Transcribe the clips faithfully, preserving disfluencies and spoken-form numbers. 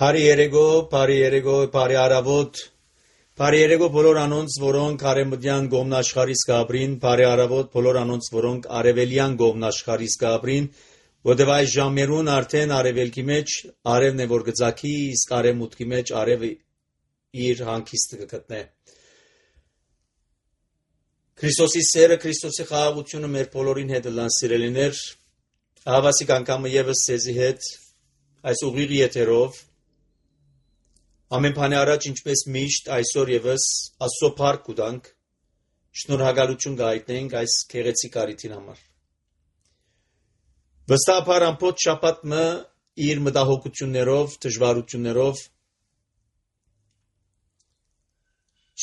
Բարի երեկո, բարի երեկո, բարի արավոտ, բարի երեկո բոլոր անոնց, որոնք արևմտյան գոմնաշխարհից կապրին, բարի արավոտ բոլոր անոնց, որոնք արևելյան գոմնաշխարհից կապրին, որտեղ այս ժամերուն արդեն արևելքի մեջ արևն է որ գծակի, իսկ արևմուտքի մեջ արևը իր հանգիստը կգտնե։ Քրիստոսի սերը, Քրիստոսի խաղաղությունը մեր բոլորին հետ լան սիրելիներ, հավասիկ անգամը եւս ցեզի հետ այս ուղիղ եթերով ամեն բանի առաջ ինչպես միշտ այսօր եւս Աստծո փառք կուտանք, շնորհակալություն գայտնենք այս քեղեցիկ արիթին համար։ Վստահաբար ամբողջ շաբաթը իր մտահոգություններով, դժվարություններով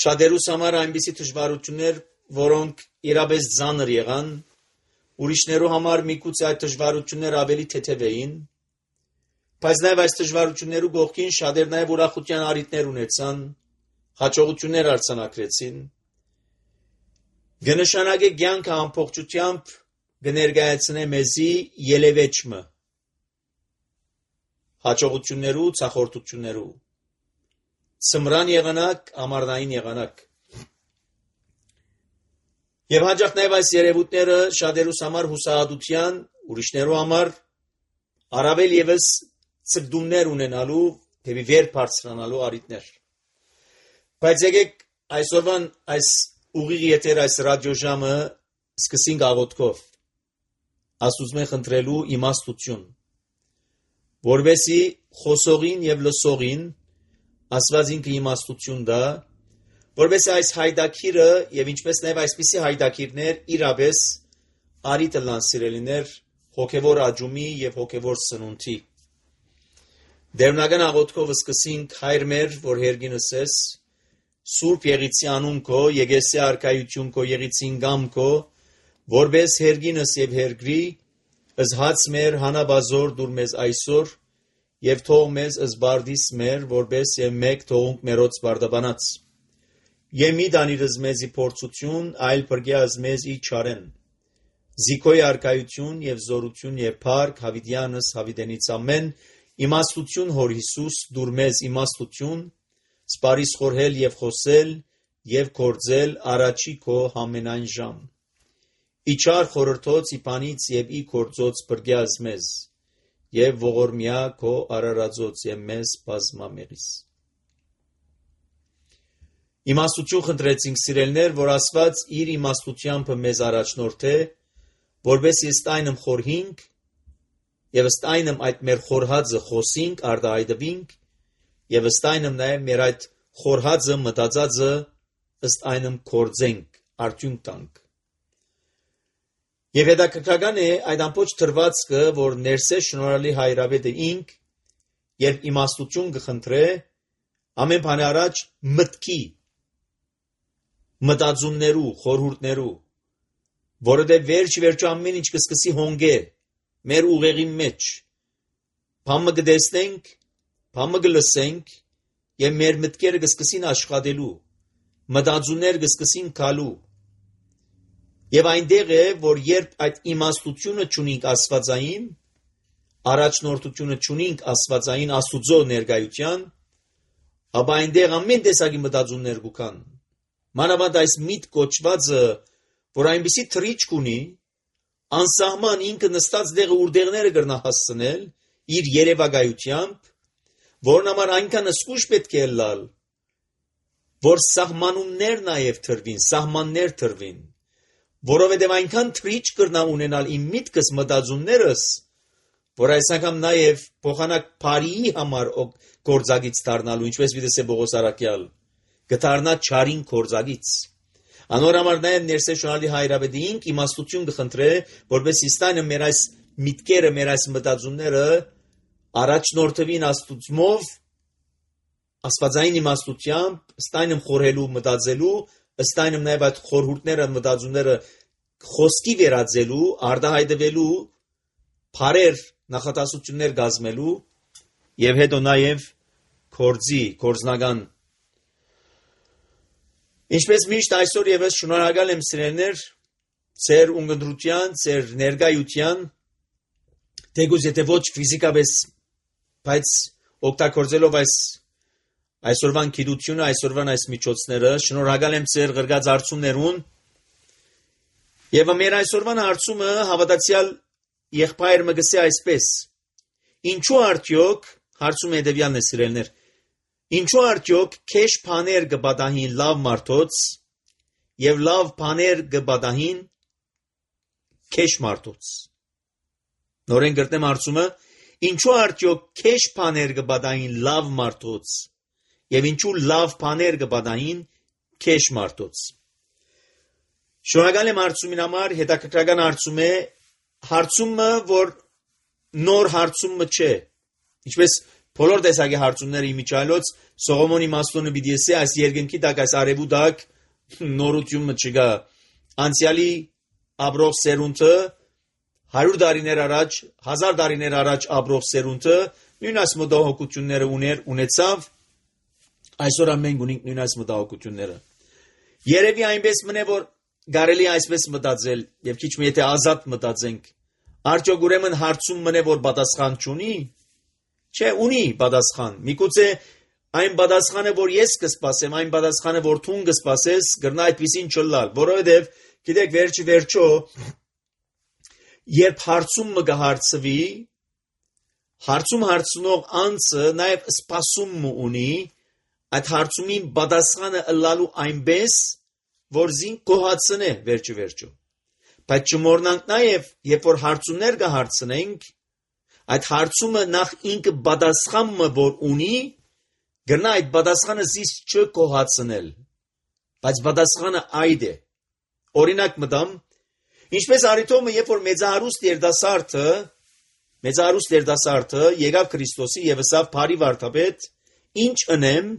շատերուս համար այնպիսի դժվարություններ, որոնք իրապես ծանր եղան, ուրիշներու համար միգուցե այդ դժվարությունները ավելի թեթև էին, բայց նաև այս դժվարություններու գողքին շատեր նաև ուրախության արիտներ ունեցան, հաջողություններ արձանագրեցին։ Գնշանակե կյանքը ամբողջությամբ կներկայացնե մեզի ելևեջը հաջողություններու, ցախորտություններու, սմրան եղանակ, ամառնային եղանակ։ Եվ հաջող նաև այս երևույթները շատերուս համար հուսահատության, ուրիշներու համար առավել եւս ցկդումներ ունենալու, թեպի վեր բարձրանալու արիտներ։ Բայց եկեք այսօրվան այս ուղիղ եթեր այս ռադիոժամը սկսենք աղոթքով։ Աստծո խնդրելու իմաստություն, որովհետեւ խոսողին եւ լսողին Աստված ինքը իմաստություն տա, որովհետեւ այս հայդակիրը եւ ինչպես նաեւ այսպիսի հայդակիրներ իրապես արիտը լան սիրելիներ հոգեվոր աճումի եւ հոգեվոր սնունդի։ Դերնական աղոթքով սկսենք հայր մեր, որ հերգինս ես, Սուրբ Եղիցի անուն քո, Եկեսի արքայություն քո, Եղիցին գամ քո, որպես հերգինս եւ հերգրի, ըզհաց մեր հանաբազոր դուր մեզ այսօր, եւ թող մեզ ըզբարդիս մեր, որպես եւ մեկ թողունք մերոց բարդաբանած։ Եվ մի դանիրս մեզի փորձություն, այլ բրգյազ մեզի չարեն։ Զիքոյ արքայություն եւ զորություն եւ փառք Հավիդյանս Հավիդենից ամեն, իմաստություն հոր Հիսուս դուր մեզ իմաստություն, սպարիս խորհել եւ խոսել եւ կործել առաջի քո համենայն ժամ։ Իչար խորհրդոց իբանից եւ ի կործոց բրգյազ մեզ եւ ողորմյա քո արարածոց եւ մեզ բազմամեղիս։ Իմաստություն խնդրեցինք սիրելներ, որ Աստված իր իմաստությամբ մեզ առաջնորդե, որպես ըստ այնմ խորհինք եւ ըստ այնմ այդ մեր խորհածը խոսինք, արտահայտվինք եւ ըստ այնմ նաեւ մեր այդ խորհածը մտածածը ըստ այնմ կործենք, արդյունք տանք։ Եվ հետաքրքրական է այդ ամբողջ թրվածքը, որ ներսե շնորհալի հայրավետը ինք, երբ իմաստություն կխնդրե, ամեն բանի առաջ մտքի, մտածումներու, խորհուրդներու, որովհետև վերջ վերջո ամեն ինչ կսկսի հոնգե մեր ուղեղի մեջ, բամը կտեսնենք, բամը կլսենք եւ մեր մտքերը կսկսին աշխատելու, մտածումներ կսկսին գալու։ Եվ այնտեղ է, որ երբ այդ իմաստությունը չունենք աստվածային, առաջնորդությունը չունենք աստվածային Աստուծո ներկայության, ապա այնտեղ ամեն տեսակի մտածումներ կան։ Մանավանդ այս միտ կոչվածը, որ այնպիսի թրիչք ունի, անսահման ինքը նստած դեղը ուրդեղները կրնա հասցնել իր երևակայությամբ, որն համար այնքան զգուշ պետք է լալ, որ սահմանումներ նաև թրվին, սահմաններ թրվին, որովհետև այնքան թրիչ կրնա ունենալ իմ միտքս մտածումներս, որ այս անգամ նաև փոխանակ բարիի համար գործագից դառնալու, ինչպես վիդես է Բողոս Արաքյալ, կդառնա չարին գործագից։ Անոր համար նաև ներսե շնորհալի հայրավետը ինք իմաստություն կխնդրե, որպես իստանը մեր այս միտքերը, մեր այս մտածումները առաջնորդվին Աստուծմով, աստվածային իմաստությամբ, ըստ այնմ խորհելու, մտածելու, ըստ այնմ նաև այդ խորհուրդները, մտածումները խոսքի վերածելու, արտահայտվելու, բարեր նախատասություններ կազմելու եւ հետո նաև կորձի, կորձնական։ Ինչպես միշտ այսօր եւս շնորհակալ եմ սիրելիներ ձեր ունկնդրության, ձեր ներկայության, թեկուզ եթե ոչ ֆիզիկապես, բայց օգտագործելով այս այսօրվան գիտությունը, այսօրվան այս միջոցները, շնորհակալ եմ ձեր գրած հարցումներուն։ Եվ մեր այսօրվան հարցումը հավատացյալ եղբայրը գսե այսպես. Ինչու արդյոք հարցում հետևյալն է սիրելներ, ինչու արդյոք քեշ բաներ կբադահին լավ մարդոց եւ լավ բաներ կբադահին քեշ մարդոց։ Նորեն գրտնեմ հարցումը, ինչու արդյոք քեշ բաներ կբադահին լավ մարդոց եւ ինչու լավ բաներ կբադահին քեշ մարդոց։ Շնորհակալ եմ հարցումին համար, հետաքրքրական հարցում է, հարցումը, որ նոր հարցումը չէ։ Ինչպես բոլոր տեսակի հարցումները իմիջայլոց Սողոմոնի Մաստոնը պիտի ասի, այս երկնքի տակ, այս արևու տակ նորությունը չկա։ Անցյալի ապրող սերունդը հարյուր տարիներ առաջ, հազար տարիներ առաջ ապրող սերունդը նույն այս մտահոգությունները ուներ, ունեցավ, այսօր ամեն ունենք նույն այս մտահոգությունները։ Երևի այնպես մնե, որ կարելի այսպես մտածել, եւ քիչ մի եթե ազատ մտածենք, արդյոք ուրեմն հարցում մնե, որ պատասխան չունի։ Չէ, ունի պատասխան։ Միգուցե այն պատասխանը, որ ես կսպասեմ, այն պատասխանը, որ դու կսպասես, գրնա այդպեսին չլալ, որովհետեւ գիտեք, վերջի վերջո, երբ հարցումը կհարցվի, հարցում հարցնող անձը նաեւ սպասում ունի, այդ հարցումին պատասխանը ըլլալու այնպես, որ զին կոհացնե վերջի վերջո։ Բայց չմոռնանք նաեւ, երբ որ հարցումներ կհարցնենք, այդ հարցումը նախ ինքը պատասխանը որ ունի, գրնա այդ պատասխանը զիս չկոհացնել։ Բայց պատասխանը այդ է։ Օրինակ մտամ, ինչպես Արիթոմը, երբ որ մեծահարուստ երդասարտը, մեծահարուստ երդասարտը եկավ Քրիստոսի եւ ասավ բարի վարդապետ, ինչ ընեմ,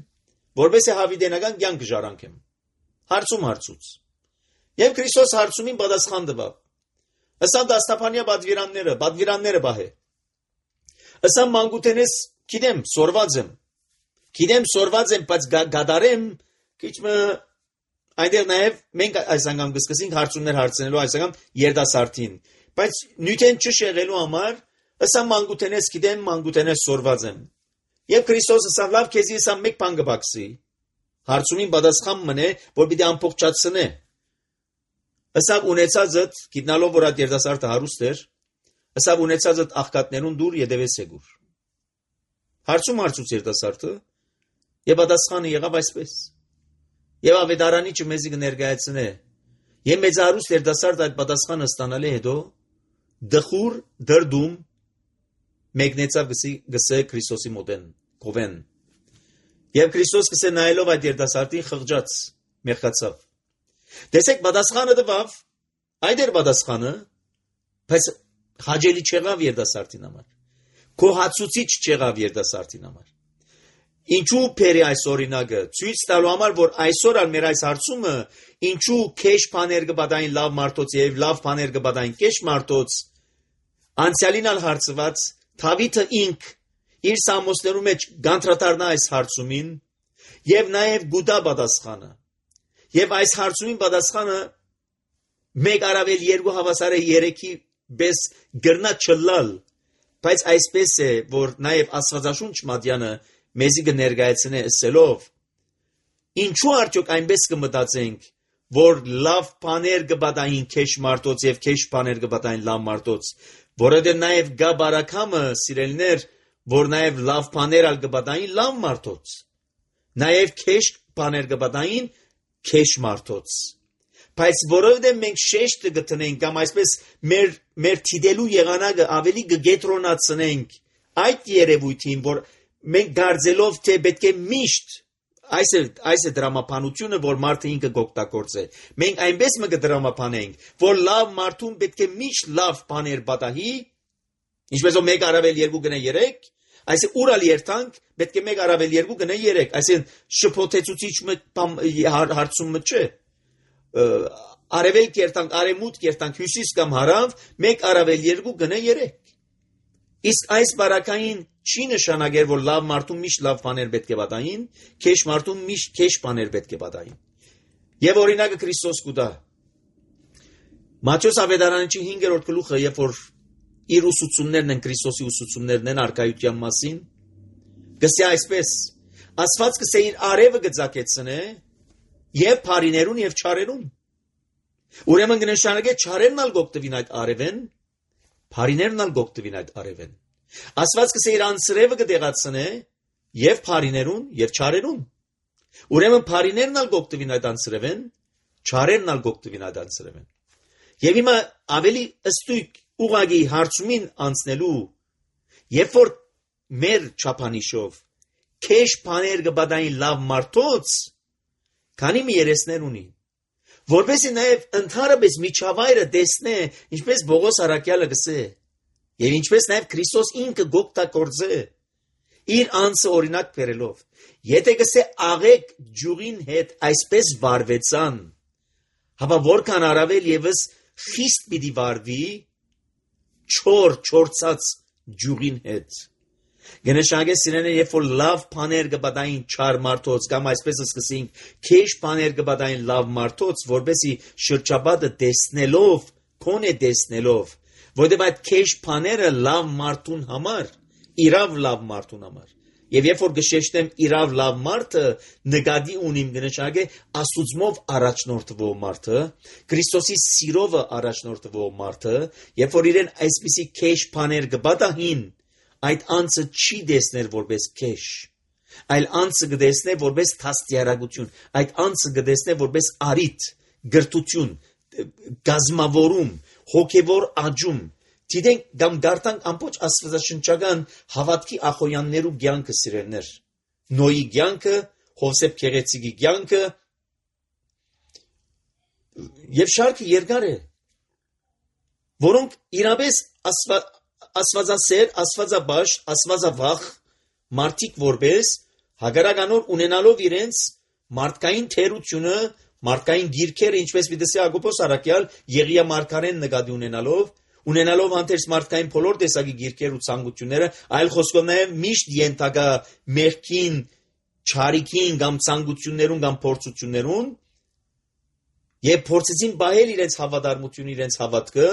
որպես է հավիտենական կյանք ժառանգեմ։ Հարցում հարցուց։ Եվ Քրիստոս հարցումին պատասխան տվավ։ Ըսա դաստափանյա պատվիրանները, պատվիրանները բահե։ Ըսա մանկութենես, գիտեմ, սորված եմ։ Գիտեմ, սորված եմ, բայց գադարեմ, քիչը այնտեղ նաև մենք այս անգամ կսկսենք հարցումներ հարցնելու այս անգամ երդասարտին։ Բայց նյութեն չշեղելու համար, ըսա մանկութենես, գիտեմ, մանկութենես սորված եմ։ Եվ Քրիստոսը ասավ, լավ, քեզի եսա մեկ բան կբացի։ Հարցումին պատասխան մնե, որ պիտի ամբողջացնե։ Ըսավ ունեցածդ, գիտնալով որ այդ երդասարտը հարուստ էր, ըսավ ունեցածդ աղքատներուն դուր ետևես եկուր։ Հարցում հարցուց երդասարտը, եւ պատասխանը եղավ այսպես։ Եվ ավետարանիչը մեզի կներկայացնե։ Եվ մեծահարուստ երդասարտը այդ պատասխանը ստանալի հետո դխուր դրդում մեկնեցավ գսե Քրիստոսի մոտեն, կովեն։ Եվ Քրիստոս գսե նայելով այդ երդասարտին խղճաց, մեղքացավ։ Տեսեք, պատասխանը տվավ, այդ էր պատասխանը, բայց հաջելի չեղավ երդասարտին համար։ Կոհացուցիչ չեղավ երդասարտին համար։ Ինչու փերի այս օրինակը ցույց տալու համար, որ այսօր ալ մեր այս հարցումը ինչու քեշ բաներ կբադային լավ մարդոց եւ լավ բաներ կբադային քեշ մարդոց անցյալին ալ հարցված Դավիթը ինք իր սամոսներու մեջ գանտրատարնա այս հարցումին եւ նաեւ գուտա պատասխանը եւ այս հարցումին պատասխանը մեկ արավել երկու հավասարը երեքի բես գրնա չլալ բայց այսպես է որ նաեւ Աստվածաշունչ մատյանը մեզի կներկայացնե ասելով ինչու արդյոք այնպես կմտածենք որ լավ բաներ կբադային քեշ մարդոց եւ քեշ բաներ կբադային լավ մարդոց որովհետեւ նաեւ գա բարակամը սիրելներ որ նաեւ լավ բաներ ալ կբադային լավ մարդոց նաեւ քեշ բաներ կբադային քեշ մարդոց բայց որովհետեւ մենք շեշտը գտնենք կամ այսպես մեր մեր թիդելու եղանակը ավելի կգետրոնացնենք այդ երևույթին որ մենք գարձելով թե պետք է միշտ այս է այս է դրամապանությունը որ մարդը ինքը գոկտակորձե մենք այնպես մը կդրամապանենք որ լավ մարդուն պետք է միշտ լավ բաներ պատահի ինչպես որ մեկ արավել երկու գնա երեք այսինքն ուրալ երթանք պետք է մեկ արավել երկու գնա երեք այսինքն շփոթեցուցիչ հարցումը չէ արևել երթանք արևմուտք երթանք հյուսիս կամ հարավ մեկ արավել երկու գնա երեք իսկ այս բարակային չի նշանակեր որ լավ մարդուն միշտ լավ բաներ պետք է պատահին, քեշ մարդուն միշտ քեշ բաներ պետք է պատահին։ Եվ օրինակը Քրիստոս կուտա։ Մատթեոս ավետարանչի հինգերորդ գլուխը, երբ որ իր ուսուցումներն են Քրիստոսի ուսուցումներն են արկայության մասին, գսե այսպես Աստված գսե իր արևը գծակեցնե եւ բարիներուն եւ չարերուն ուրեմն կնշանակե չարերն ալ գոկտվին այդ արևեն բարիներն ալ գոկտվին այդ արևեն Աստված գսե իր անսրևը գդեղացնե եւ բարիներուն եւ չարերուն ուրեմն բարիներն ալ գոկտվին այդ անսրևեն չարերն ալ գոկտվին այդ անսրևեն եւ հիմա ավելի ըստույք ուղագի հարցումին անցնելու երբ որ մեր չափանիշով քեշ բաներ գբադային լավ մարդոց քանի մի երեսներ ունի որովհետեւ նաեւ ընդհանրապես միջավայրը տեսնե ինչպես Բողոս Արաքյալը գսե եւ ինչպես նաեւ Քրիստոս ինքը գոկտակորձե իր անձը օրինակ բերելով եթե գսե աղեկ ջուղին հետ այսպես վարվեցան հապա որքան առավել եւս խիստ պիտի վարվի չոր չորցած ջուղին հետ Գնշագե սիրենե երբ որ լավ բաներ գբադային չար մարդոց կամ այսպես սկսենք քեշ բաներ գբադային լավ մարդոց որբեսի շրջապատը տեսնելով կոնե տեսնելով որովհետև այդ քեշ բաները լավ մարդուն համար իրավ լավ մարդուն համար եւ երբ որ գշեշտեմ իրավ լավ մարդը նկատի ունիմ գնշագե աստուծմով առաջնորդվող մարդը Քրիստոսի սիրովը առաջնորդվող մարդը երբ որ իրեն այսպիսի քեշ բաներ գբադային Այդ անձը չի դեսներ որպես քեշ, այլ անձը գտեսնե որպես թաստիարակություն, այդ անձը գտեսնե որպես արիթ, գրտություն, գազմավորում, հոգևոր աճում, դիտենք կամ դարտանք ամբողջ աստվածաշնչական հավատքի ախոյաններու կյանքը սիրելներ, Նոյի կյանքը, Հովսեփ Քեղեցիկի կյանքը, եւ շարքը երկար է, որոնք իրապես աստված Աստվածասեր, աստվածաբաշ, աստվածավախ մարդիկ որպես հագարականոր ունենալով իրենց մարդկային թերությունը, մարդկային գիրքերը, ինչպես պիտի Հակոբոս Արաքյալ Եղիա մարգարեն նկատի ունենալով, ունենալով հանդերձ մարդկային բոլոր տեսակի գիրքեր ու ցանկությունները, այլ խոսքով նաև միշտ ենթակա մեղքին, չարիքին կամ ցանկություններուն կամ փորձություններուն, եւ փորձեցին բահել իրենց հավատարմությունը, իրենց հավատքը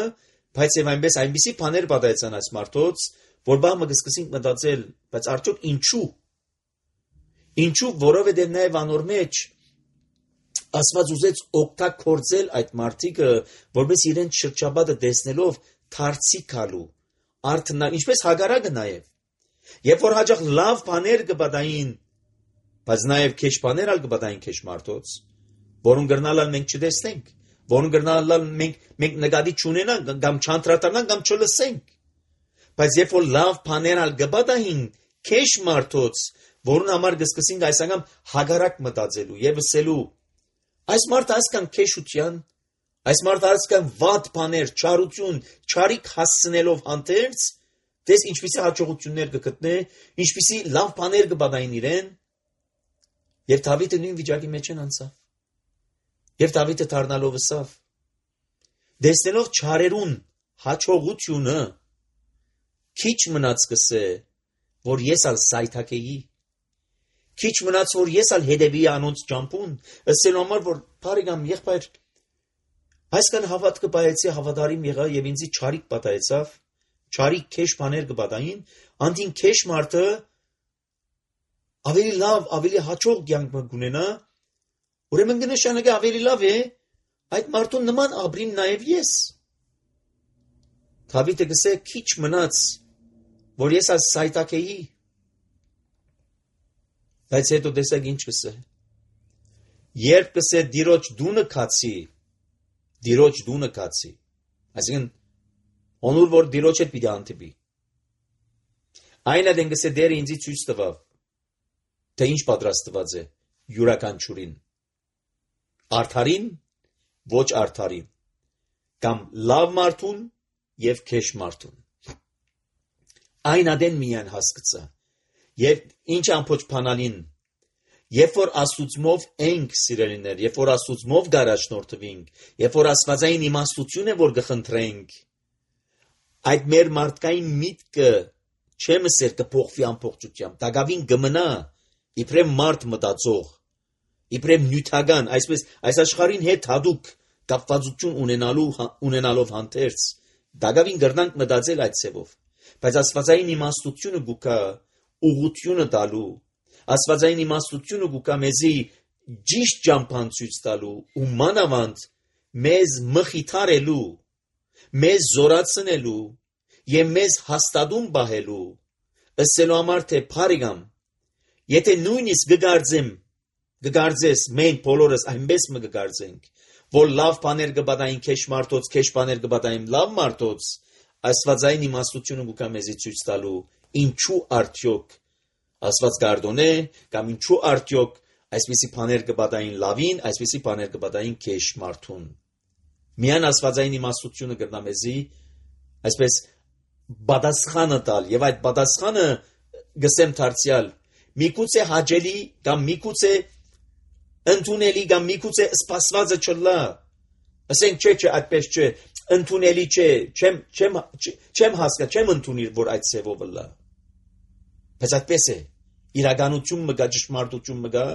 Բայց եւ այնպես այնպիսի բաներ պատահեցան այս մարդոց, որ բամը կսկսենք մտածել, բայց արդյոք ինչու։ Ինչու, որովհետեւ նաեւ անոր մեջ Աստված ուզեց օգտագործել այդ մարդիկը, որպես իրենց շրջապատը տեսնելով թարցի գալու, արթնա, ինչպես Հագարակը նաեւ։ Երբ որ հաջող լավ բաներ կպատահին, բայց նաեւ քեշ բաներ ալ կպատահին քեշ մարդոց, որոնք գրնալալ մենք չտեսնենք Որոնք գրնալալ մենք մենք նկատի չունենանք կամ չանդրադառնանք կամ չլսենք բայց երբ որ լավ բաներ ալ գբադային քեշ մարդոց որուն համար կսկսենք այս անգամ հագարակ մտածելու եւ ասելու այս մարդը ասկան քեշության այս մարդը ասկան վատ բաներ չարություն չարիք հասցնելով հանդերձ դες ինչպիսի հաջողություններ կգտնե ինչպիսի լավ բաներ կբադային իրեն եւ Դավիթը նույն վիճակի մեջ են անցավ Եվ Դավիթը դառնալով ասավ դեսնելով չարերուն հաջողությունը քիչ մնաց կսե որ ես ալ սայթակեի քիչ մնաց որ ես ալ հետևի անոնց ճամփուն ասելու համար որ բարեկամ եղբայր այսքան հավատքը բայեցի հավատարիմ եղա եւ ինձի չարիք պատահեցավ չարիք քեշ բաներ կպատահին անդին քեշ մարդը ավելի լավ ավելի հաջող կյանք կունենա Ուրեմն կնշանակե ավելի լավ է այդ մարդուն նման ապրիմ նաև ես Դավիթը գսե քիչ մնաց որ ես այս սայտակեի բայց հետո տեսակ ինչ գսե երբ գսե դիրոջ դունը կացի դիրոջ դունը կացի այսինքն Անուր որ դիրոջ հետ պիտի անտիպի այն այդեն գսե դերը ինձի ցույց տվավ թե ինչ պատրաստված է յուրաքանչյուրին Արդարին, ոչ արդարին, կամ լավ մարդուն և քեշ մարդուն։ Այն ադեն միան հասկացա, և ինչ ամփոչ փանալին, երբ որ աստուծմով ենք սիրելիներ, երբ որ աստուծմով գարաշնորթվենք, երբ որ աստվածային իմաստություն է, որ գխնդրենք, այդ մեր մարդկային միտքը չեմ ասել կփոխվի ամբողջությամբ, դակավին գմնա, իբրև մարդ մտածող Իբրև նյութական, այսպես այս աշխարհին հետ հadoop կապվածություն ունենալու ունենալով հանդերձ, դակավին գրնանք մտածել այդ ցևով, բայց աստվածային իմաստությունը գուկա ուղղությունը տալու, աստվածային իմաստությունը գուկա մեզի ճիշտ ճամփան ցույց տալու ու մանավանդ մեզ մխիթարելու, մեզ զորացնելու եւ մեզ հաստատում բահելու, ըսելու համար թե բարիգամ, եթե նույնիսկ գգարձեմ, գգարձես մենք բոլորս այնպես մը գգարձենք, որ լավ բաներ կբադային քեշ մարդոց, քեշ բաներ կբադային լավ մարդոց, աստվածային իմաստությունը գուկա մեզի ցույց տալու, ինչու արդյոք աստված գարդոնե կամ ինչու արդյոք այսպիսի բաներ կբադային լավին, այսպիսի բաներ կբադային քեշ մարդուն։ Միան աստվածային իմաստությունը կրնա մեզի այսպես բադասխանը տալ եւ այդ բադասխանը գսեմ դարձյալ միգուցե հաջելի կամ միգուցե ընդունելի կամ միգուցե սպասվածը չլա, ասենք չէ չէ այդպես չէ, ընդունելի չէ, չեմ չեմ չեմ հասկա, չեմ ընդունիր, որ այդ ծևով լա։ Բայց այդպես է, իրականություն մգա, ճշմարտություն մգա,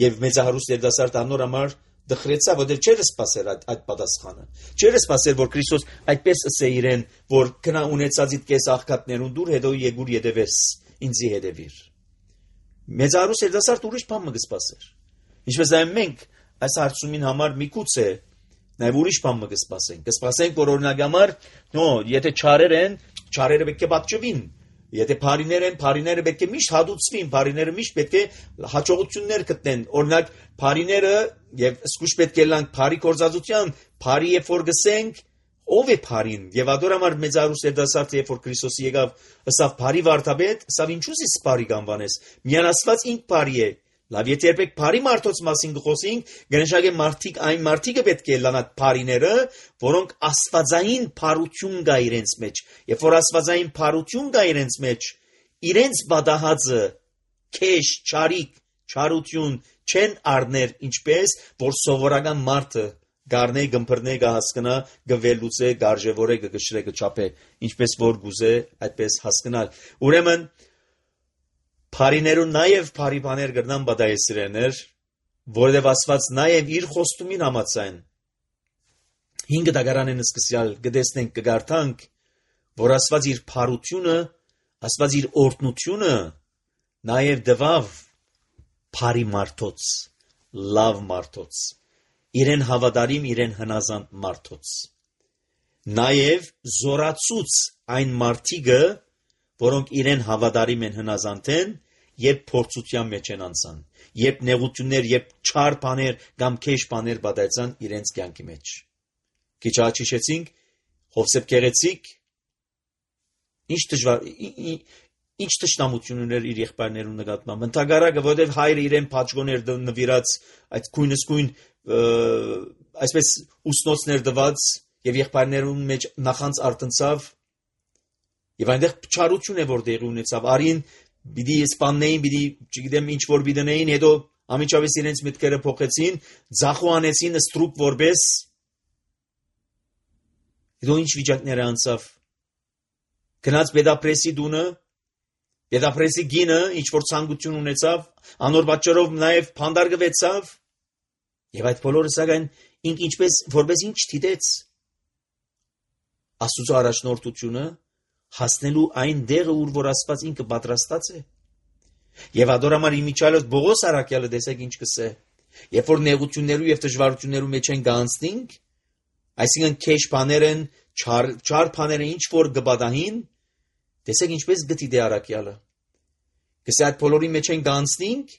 եւ մեծահարուստ երդասարդ անոր համար դխրեցա, որ դեռ չէր սպասեր այդ այդ պատասխանը։ Չէր սպասեր, որ Քրիստոս այդպես ասե իրեն, որ քնա ունեցածիդ կես աղքատներուն դուր, հետո եկուր յետևես, ինձի հետևիր։ Մեծահարուստ երդասարդ ուրիշ բան մը կսպասեր։ Ինչպես այն մենք այս հարցումին համար միգուցե նաև ուրիշ բան մը կսպասենք։ Կսպասենք, որ օրինակ համար, նո, եթե չարեր են, չարերը պետք է պատճվին։ Եթե բարիներ են, բարիները պետք է միշտ հադուցվին, բարիները միշտ պետք է հաջողություններ գտնեն։ Օրինակ, բարիները եւ սկուշ պետք է լանք բարի կորզածության, բարի երբ որ գսենք, ով է բարին։ Եվ ադորամար մեծարուս երդասարդը երբ որ Քրիստոսի եկավ, ըսավ բարի վարդապետ, ըսավ ինչու՞ ես բարի կանվանես։ Միան Աստված ինք բարի է։ Լավ, եթե երբեք բարի մարդոց մասին գխոսենք, գնշագե մարդիկ այն մարդիկը պետք է լանա բարիները, որոնք աստվածային բարություն կա իրենց մեջ։ Երբ որ աստվածային բարություն կա իրենց մեջ, իրենց բադահածը քեշ, չարիք, չարություն չեն առներ, ինչպես որ սովորական մարդը գարնե գմբրնե գահասկնա գվելուցե գարժևորե գգշրե գչապե, ինչպես որ գուզե այդպես հասկանալ։ Ուրեմն Փարիներուն նաև բարի բաներ կրնան բադայեսրեներ, որովհետև Աստված նաև իր խոստումին համաձայն հինգ դագարանեն սկսյալ գտեսնենք կգարտանք, որ Աստված իր բարությունը, Աստված իր օրհնությունը նաև դվավ բարի մարդոց, լավ մարդոց, իրեն հավատարիմ, իրեն հնազանդ մարդոց, նաև զորացուց այն մարդիկը, որոնք իրեն հավատարիմ են հնազանդ են, երբ փորձության մեջ են անցան, երբ նեղություններ, երբ չար բաներ կամ քեշ բաներ բադայցան իրենց կյանքի մեջ։ Քիչ հաճիշեցինք Հովսեփ Գեղեցիկ ինչ դժվար ինչ տշնամություն ուներ իր եղբայրներուն նկատմամբ։ Ընդհանրակը, որովհետև հայրը իրեն փաճգոներ նվիրած, այդ քույնսկույն այսպես ուսնոցներ դված եւ եղբայրներուն մեջ նախանց արտնցավ եւ այնտեղ չարություն է որ դեղի ունեցավ։ Արին Բիդի իսպաններին, բիդի, չգիտեմ ինչ որ բիդնեին, հետո ամիջավես իրենց միտքերը փոխեցին, ձախու անեցին ստրուկ որպես, հետո ինչ վիճակներ անցավ, գնաց Պետապրեսի դունը, Պետապրեսի գինը, ինչ որ ցանկություն ունեցավ, անոր պատճառով նաև փանդարգվեցավ, եւ այդ բոլորը սակայն ինք ինչպես որպես ինչ դիտեց Աստծո առաջնորդությունը հասնելու այն դեղը, ուր որ Աստված ինքը պատրաստած է։ Եվ ադորամար իմիջալոց Բողոս Արաքյալը տեսեք ինչ կսե։ Երբ որ նեղություններու եւ դժվարություններու մեջ են գանցնինք, այսինքն քեշ բաներ են, չար չար բաները ինչ որ գբադահին, տեսեք ինչպես գտի դե Արաքյալը։ Կսե այդ բոլորի մեջ են գանցնինք,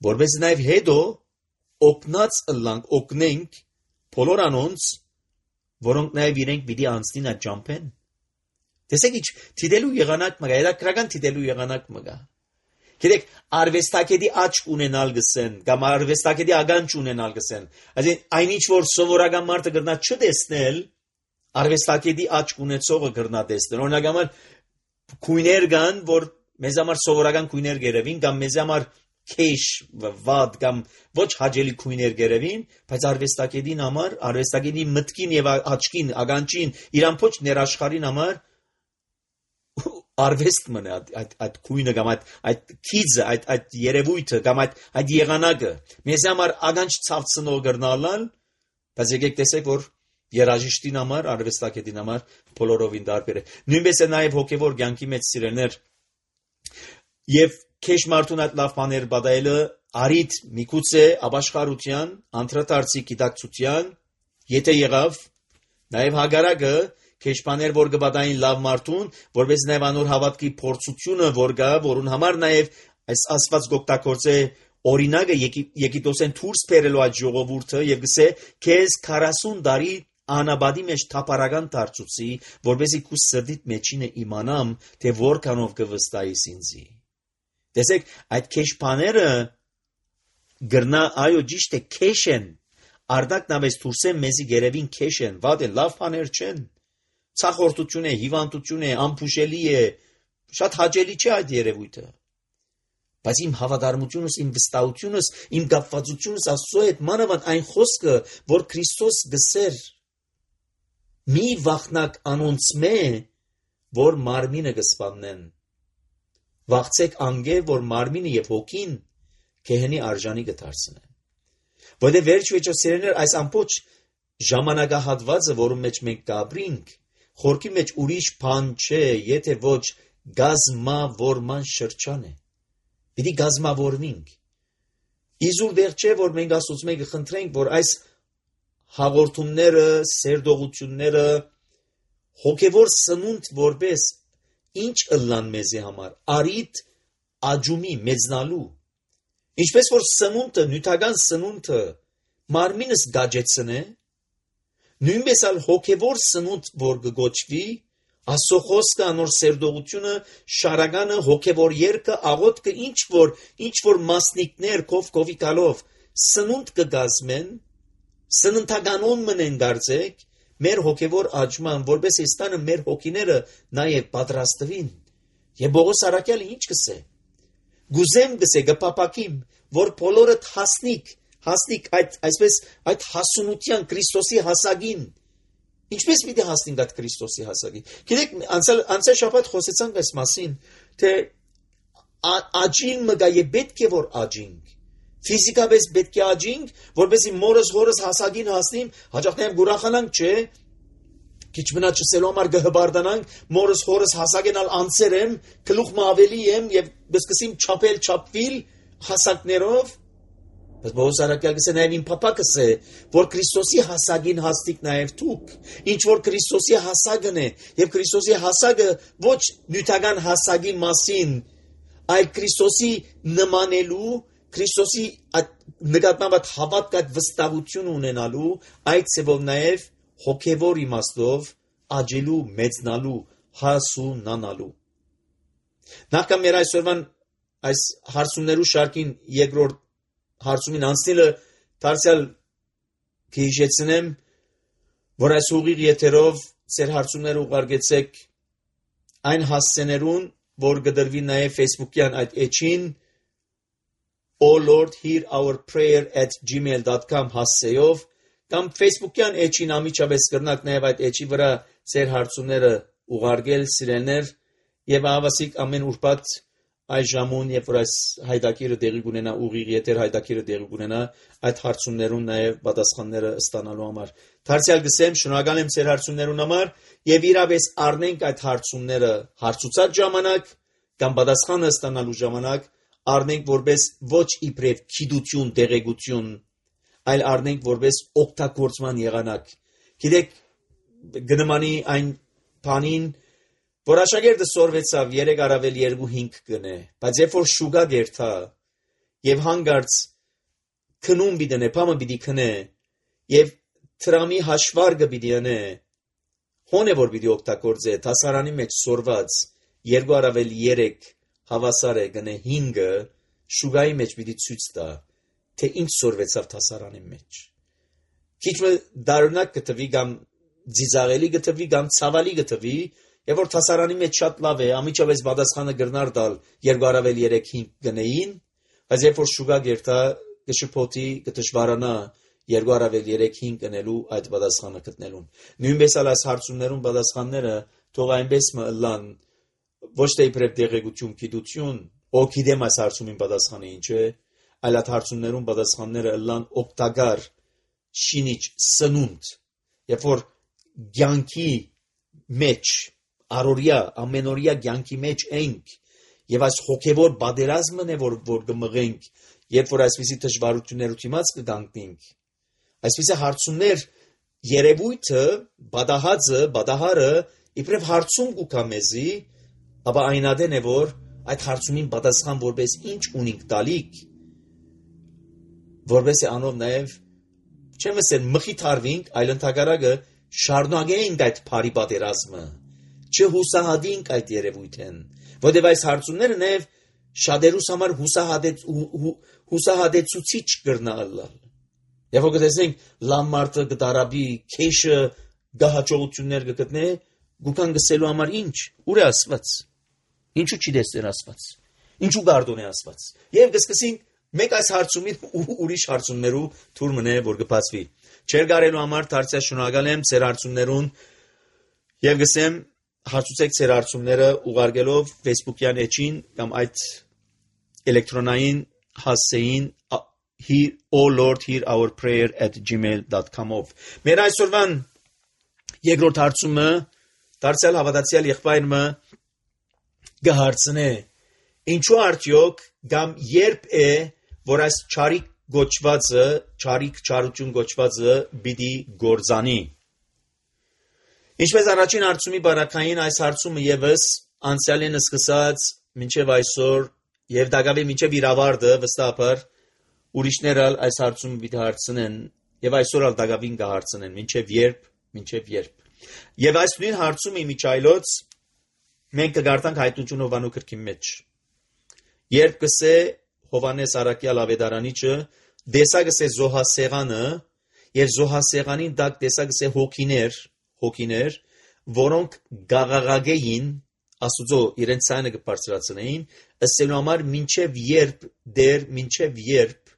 որպես նաեւ հետո օգնած ըլլանք, օգնենք բոլոր անոնց, որոնք նաև իրենք պիտի անցնին այդ ճամփեն։ Տեսեք ինչ թիդելու եղանակ մգա, երակրական թիդելու եղանակ մգա։ Գիտեք, արվեստակետի աչք ունենալ գսեն, կամ արվեստակետի ագանջ ունենալ գսեն։ Այսինքն այն ինչ որ սովորական մարդը գրնա չտեսնել, արվեստակետի աչք ունեցողը գրնա տեսնել։ Օրինակ համար քույներ կան, որ մեզ համար սովորական քույներ գերևին, կամ մեզ համար քեշ վադ կամ ոչ հաջելի քույներ գերևին, բայց արվեստակետին համար, արվեստակետի մտքին եւ աչքին, ագանչին, իրան փոչ ներաշխարին համար արվեստ մնա այդ այդ քույնը կամ այդ այդ քիզը, այդ այդ երևույթը կամ այդ այդ եղանակը։ Մեզ համար ագանչ ցավցնող գրնալալ, բայց եկեք տեսեք որ երաժիշտին համար, արվեստագետին համար բոլորովին տարբեր է։ Նույնպես է նաև հոգևոր կյանքի մեջ սիրելներ եւ քեշ մարդուն այդ լավ բաներ բադայելը արիդ միգուցե ապաշխարության, անդրադարձի գիտակցության, եթե եղավ, նաև հագարակը քեշ բաներ որ կբադային լավ մարդուն, որպես նաև անոր հավատքի փորձությունը որ գա, որուն համար նաև այս ասված գոկտակորձե օրինակը Եգիպտոսեն դուրս բերելու այդ ժողովուրդը եւ գսե քեզ քառասուն տարի անաբադի մեջ թափարական դարձուցի, որպեսզի քու սրտիդ մեջինը իմանամ, թե որքանով կվստահիս ինձի։ Տեսեք, այդ քեշ բաները գրնա այո ճիշտ է քեշ են, արդակ նավես դուրսեն մեզի գերևին քեշ են, վատ են, լավ բաներ չեն, ցախորտություն է, հիվանդություն է, ամփուշելի է, շատ հաճելի չէ այդ երևույթը։ Բայց իմ հավատարմությունս, իմ վստահությունս, իմ կապվածությունս Աստծո հետ մանավանդ այն խոսքը, որ Քրիստոս գսեր մի վախնակ անոնց մե, որ մարմինը կսպաննեն։ Վախցեք անգե, որ մարմինը եւ հոգին կեհնի արժանի կդարձնեն։ Որտեղ վերջ վերջո սերեներ այս ամբողջ ժամանակահատվածը, որում մեջ մենք կապրինք, խորքի մեջ ուրիշ բան չէ, եթե ոչ գազմավորման շրջան է։ Պիտի գազմավորվենք։ Իզուր դեղ չէ, որ մենք Աստծուց մենք խնդրենք, որ այս հաղորդումները, սերդողությունները հոգևոր սնունդ որպես ինչ ըլլան մեզի համար, արիդ աջումի մեծնալու, ինչպես որ սնունդը, նյութական սնունդը մարմինս գաջեցնե, նույնպես ալ հոգևոր սնունդ որ կգոչվի, Աստծո խոսքը, անոր սերդողությունը, շարականը, հոգևոր երգը, աղոթքը, ինչ որ, ինչ որ մասնիկներ կով կովի գալով սնունդ կգազմեն, սննդականոն մնեն դարձեք, մեր հոգևոր աճման, որպես էստանը մեր հոգիները նաև պատրաստվին։ Եվ Պողոս առաքյալը ինչ կսե։ Գուզեմ գսե գպապակիմ, որ բոլորդ հասնիկ, հասնիկ այդ այսպես այդ հասունության Քրիստոսի հասագին։ Ինչպես պիտի հասնենք այդ Քրիստոսի հասակին։ Գիտեք, անցյալ անցյալ շաբաթ խոսեցանք այս մասին, թե աճին մգա է պետք է որ աճինք։ Ֆիզիկապես պետք է աճինք, որպեսզի մորս հորս հասակին հասնիմ, հաջող նաև գուրախանանք, չէ։ Քիչ մնա չսելու համար գհբարդանանք, մորս հորս հասակենալ անցերեմ, գլուխ ավելի եմ եւ սկսեմ չափել չափվիլ հասակներով։ Բայց Պողոս առաքյալը գսե նաև իմ փապակս է, որ Քրիստոսի հասակին հասնիկ նաև դուք, ինչ որ Քրիստոսի հասակն է, եւ Քրիստոսի հասակը ոչ նյութական հասակի մասին, այլ Քրիստոսի նմանելու, Քրիստոսի նկատմամբ հավատք այդ վստահություն ունենալու, այդ ծևով նաև հոգևոր իմաստով աճելու, մեծնալու, հասունանալու։ Նախքան մեր այսօրվան այս հարցումներու շարքին երկրորդ հարցումին անցնելը դարձյալ կհիշեցնեմ, որ այս ուղիղ եթերով ծեր հարցումները ուղարկեցեք այն հասցեներուն, որ կդրվի նաև Facebook-յան այդ էջին O Lord hear our prayer at gmail dot com հասցեով կամ Facebook-յան էջին ամիջապես կրնակ նաև այդ էջի վրա ծեր հարցումները ուղարկել սիրելներ եւ ավասիկ ամեն ուրբաթ այս ժամուն, երբ որ այս հայդակիրը դեղի կունենա, ուղիղ եթեր հայդակիրը դեղի կունենա, այդ հարցումներուն նաև պատասխանները ստանալու համար։ Դարձյալ գսեմ, շնորհակալ եմ ձեր հարցումներուն համար եւ իրապես առնենք այդ հարցումները հարցուցած ժամանակ կամ պատասխանը ստանալու ժամանակ առնենք որպես ոչ իբրև քիդություն, դեղեցություն, այլ առնենք որպես օգտագործման եղանակ։ Գիտեք, գնմանի այն բանին որ աշակերտը սորվեցավ երեք առավել երկու հինգ գնե, բայց երբ որ շուգա դերթա եւ հանգարց քնում բիդնե, փամը բիդի քնե եւ տրամի հաշվարգը բիդի անե, հոն է որ բիդի օգտագործե, դասարանի մեջ սորված երկու առավել երեք հավասար է գնե հինգը, շուգայի մեջ բիդի ցույց տա, թե ինչ սորվեցավ դասարանի մեջ։ Քիչ մը դառնակ կտվի կամ ձիծաղելի կտվի կամ ցավալի կտվի, եւ որ դասարանի մեջ շատ լավ է, ամիջապես պատասխանը գրնար տալ երկու առավել երեք հինգ գնեին, բայց երբ որ շուգա գերտա կշփոթի կդժվարանա երկու առավել երեք հինգ գնելու այդ պատասխանը գտնելուն։ Նույնպես ալ այս հարցումներուն պատասխանները թող այնպես մը լան ոչ թե իբրև դեղեցություն, գիտություն, օ գիտեմ այս հարցումին պատասխանը ինչ է, այլ այդ հարցումներուն պատասխանները լան օգտակար շինիչ սնունդ երբ որ կյանքի մեջ, առօրյա, ամենօրյա կյանքի մեջ ենք, եւ այս հոգեվոր բادرազմն է, որ որ կմղենք, երբ որ այսպիսի դժվարություններու դիմաց կգանքնենք, այսպիսի հարցումներ երևույթը, բադահածը, բադահարը իբրև հարցում կուքա մեզի, ապա այնադեն է, որ այդ հարցումին պատասխան որպես ինչ ունենք տալիք, որպես է անով նաև չեմ ասել մխիթարվենք, այլ ընդհակառակը շարունակենք այդ բարի պատերազմը, չհուսահատենք այդ երևույթին, որտեղ այս հարցումները նաև շատերուս համար հուսահատեց հուսահատեցուցիչ կրնալ։ Եվ որ գտեսնենք լամարտը գտարաբի քեշը գահաճողություններ կգտնե, գուքան գսելու համար ինչ, ուր է ասված, ինչու չի դեսներ ասված, ինչու գարդոն է ասված, և գսկսենք մեկ այս հարցումին ուրիշ հարցումներու թուր մնե, որ գպացվի, չեր գարելու համար դարձյալ շնորհակալ եմ ծեր հարցումներուն և գսեմ հարցուցեք ծեր հարցումները ուղարկելով Facebook-յան էջին կամ այդ էլեկտրոնային հասցեին Hear, oh Lord, hear our prayer at gmail dot com-ով։ Մեր այսօրվան երկրորդ հարցումը դարձյալ հավատացյալ եղբայրը գահարցնե ինչու արդյոք կամ երբ է որ այս չարիք գոչվածը չարիք չարություն գոչվածը պիտի գործանի։ Ինչպես առաջին հարցումի բարակային այս հարցումը եւս անցյալին սկսած մինչև այսօր եւ դակավի մինչև իր ավարտը վստահաբար ուրիշներ ալ այս հարցումը պիտի հարցնեն եւ այսօր ալ դակավին կհարցնեն մինչեւ երբ մինչեւ երբ եւ այս նույն հարցումը իմիջայլոց մենք կգարտանք հայտնություն Հովանու գրքի մեջ երբ կսե Հովանես Արաքյալ ավետարանիչը դեսագսե զոհասեղանը եւ զոհասեղանին դակ դեսագսե հոգիներ հոգիներ որոնք գաղաղագեին Աստուծո իրենց ցայնը կբարձրացնեին ըսելու համար մինչեւ երբ դեր մինչեւ երբ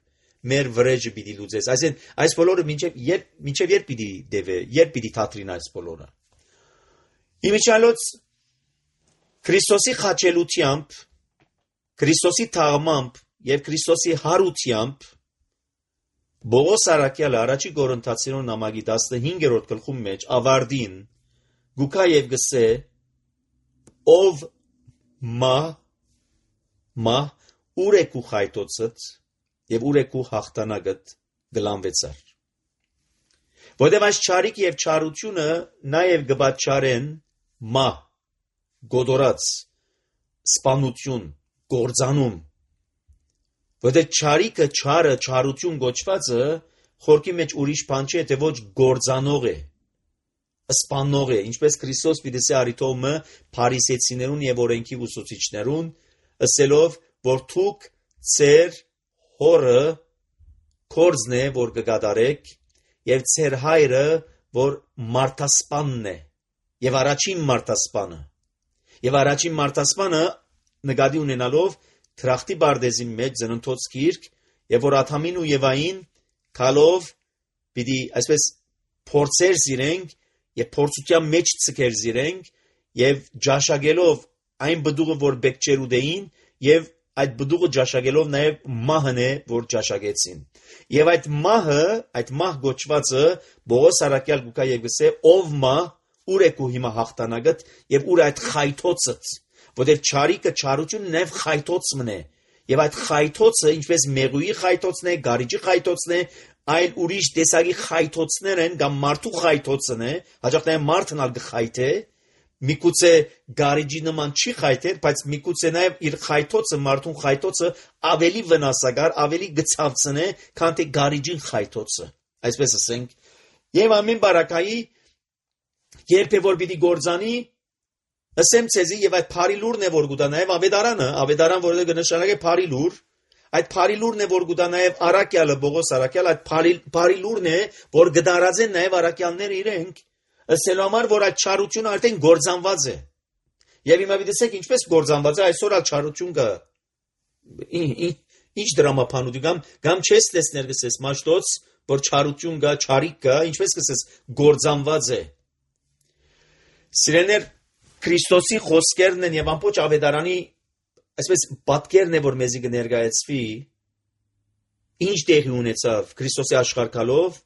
մեր վրեժը պիտի լուծես այսին այս բոլորը մինչև երբ մինչև երբ պիտի դեվե երբ պիտի թատրին այս բոլորը իմիջիալոց Քրիստոսի խաչելությամբ Քրիստոսի թաղմամբ եւ Քրիստոսի հարությամբ Բողոս Արաքյալը առաջի Կորինթացիներուն նամակի տասնհինգերորդ գլխում մեջ ավարտին գուքա եւ գսե ով մա մա ուրեկու խայտոցդ եւ ուրեկու հաղթանակդ գլանվեցար որտեւ այս չարիք եւ չարությունը նաեւ գբաչարեն մա գոդորած սպանություն գործանում որտեւ չարիքը չարը չարություն գոչվածը խորքի մեջ ուրիշ բան չէ թե ոչ գործանող է սպանող է ինչպես Քրիստոս պիտի արիթոմը փարիսեցիներուն եւ օրենքի ուսուցիչներուն ասելով որ դուք ծեր հորը կորձն է որ կգադարեք եւ ծեր հայրը որ մարտասպանն է եւ առաջին մարտասպանը եւ առաջին մարտասպանը նկատի ունենալով թրախտի բարդեզի մեջ ծննդոց գիրք եւ որ Աթամին ու Եվային քալով պիտի այսպես փորձեր զիրենք եւ փորձության մեջ ցկեր զիրենք եւ ջաշագելով այն բդուղը որ բեկչերուդեին եւ այդ բդուղը ջաշագելով նաեւ մահն է որ ջաշագեցին եւ այդ մահը այդ մահ գոչվածը Բողոս Արաքյալ գուկա եգսե ով մահ ուր է քու հիմա հաղթանակդ եւ ուր այդ խայթոցը որտեղ չարիքը չարությունը նաեւ խայթոցն է եւ այդ խայթոցը ինչպես մեղուի խայթոցն է գարիջի խայթոցն է այլ ուրիշ տեսակի խայթոցներ են կամ մարդու խայթոցն է հաջող նաեւ մարդն ալ գխայթե միգուցե գարիջի նման չի խայթեր բայց միգուցե նաեւ իր խայթոցը մարդուն խայթոցը ավելի վնասակար ավելի գծավցն է քան թե գարիջին խայթոցը այսպես ասենք եւ ամեն բարակայի երբ է որ պիտի գործանի ասեմ ցեզի եւ այդ բարի լուրն է որ գուտա նաեւ ավետարանը ավետարան որը կնշանակե բարի լուր այդ բարի լուրն է որ գուտա նաեւ Արաքյալը Բողոս Արաքյալ այդ բարի բարի լուրն է որ գդարած են նաեւ արաքյալները իրենք ասելու համար որ այդ չարությունը արդեն գործանված է եւ հիմա դիտեք ինչպես գործանված է այսօր այդ չարություն կա ինչ դրամապանուտի կամ կամ չես տեսներ գսես մաշտոց որ չարություն կա չարիք կա ինչպես գսես գործանված է սիրեներ Քրիստոսի խոսքերն են եւ ամբողջ ավետարանի այսպես պատկերն է որ մեզի կներկայացվի ինչ տեղի ունեցավ Քրիստոսի աշխարհքալով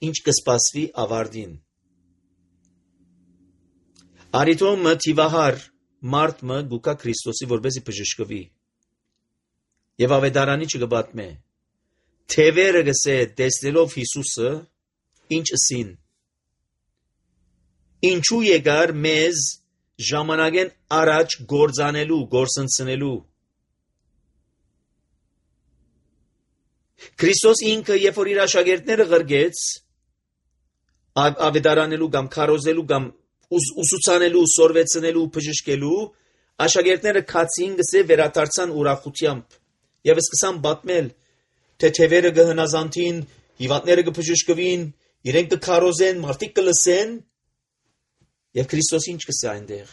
ինչ կսպասվի ավարտին։ Արիտոմը թիվահար մարդը գուկա Քրիստոսի որպեսի բժշկվի։ Եվ ավետարանի չգբատմե։ Թևերը գսե տեսնելով Հիսուսը ինչ ասին։ Ինչու եկար մեզ ժամանակեն առաջ գործանելու, գործընծնելու։ Քրիստոս ինքը երբ որ իր աշակերտները ղրգեց ավետարանելու կամ քարոզելու կամ ուսուցանելու, սորվեցնելու, բժշկելու, աշակերտները քացին գսե վերադարձան ուրախությամբ եւ սկսան պատմել, թե թևերը կհնազանդին, հիվանդները կբժշկվին, իրենք կքարոզեն, մարդիկ կլսեն, եւ Քրիստոս ինչ կսե այնտեղ։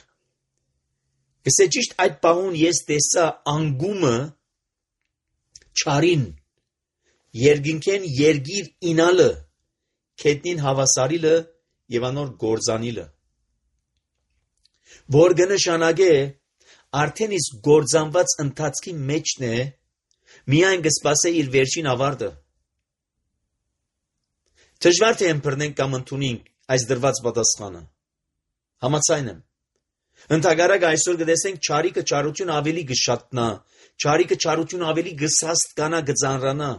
Գսե ճիշտ այդ բանուն ես տեսա անգումը չարին, երգինքեն երգիր ինալը, քետնին հավասարիլը եւ անոր գործանիլը։ Որ կնշանակե արդեն իսկ գործանված ընթացքի մեջն է, միայն կսպասե իր վերջին ավարտը։ Դժվար թե ըմբռնենք կամ ընդունենք այս դրված պատասխանը։ Համաձայն եմ։ Ընդհակառակ այսօր կտեսենք չարիքը չարություն ավելի կշատնա, չարիքը չարություն ավելի կսաստ կանա կծանրանա,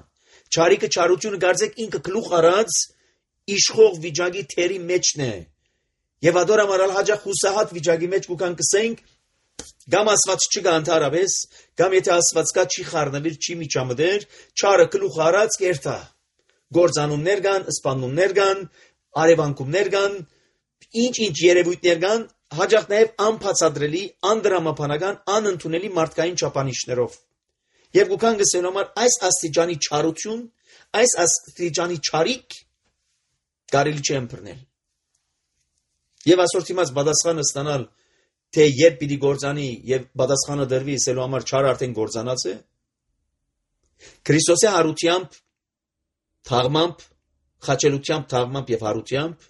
չարիքը չարությունը կարծեք ինքը գլուխ առած իշխող վիճակի թերի մեջն է։ Եվ ադոր ամարալ հաջախ հուսահատ վիճակի մեջ կուքան կսենք, կամ ասված չկա ընդհանրապես, կամ եթե ասված կա չի խառնվիր, չի միջամտեր, չարը գլուխ առած կերտա։ Գործանումներ կան, սպանումներ կան, արևանքումներ կան, ինչ-ինչ երևույթներ կան, հաջախ նաև անբացատրելի, անդրամաբանական, անընդունելի մարդկային չափանիշներով։ Եվ կուքան գսեն համար այս աստիճանի չարություն, այս աստիճանի չարիք կարելի չէ ըմբռնել։ Եվ այսօր դիմաց պատասխանը ստանալ, թե երբ պիտի գործանի եւ պատասխանը դրվի, ասելու համար չարը արդեն գործանած է։ Քրիստոսի հարությամբ, թաղմամբ, խաչելությամբ, թաղմամբ եւ հարությամբ,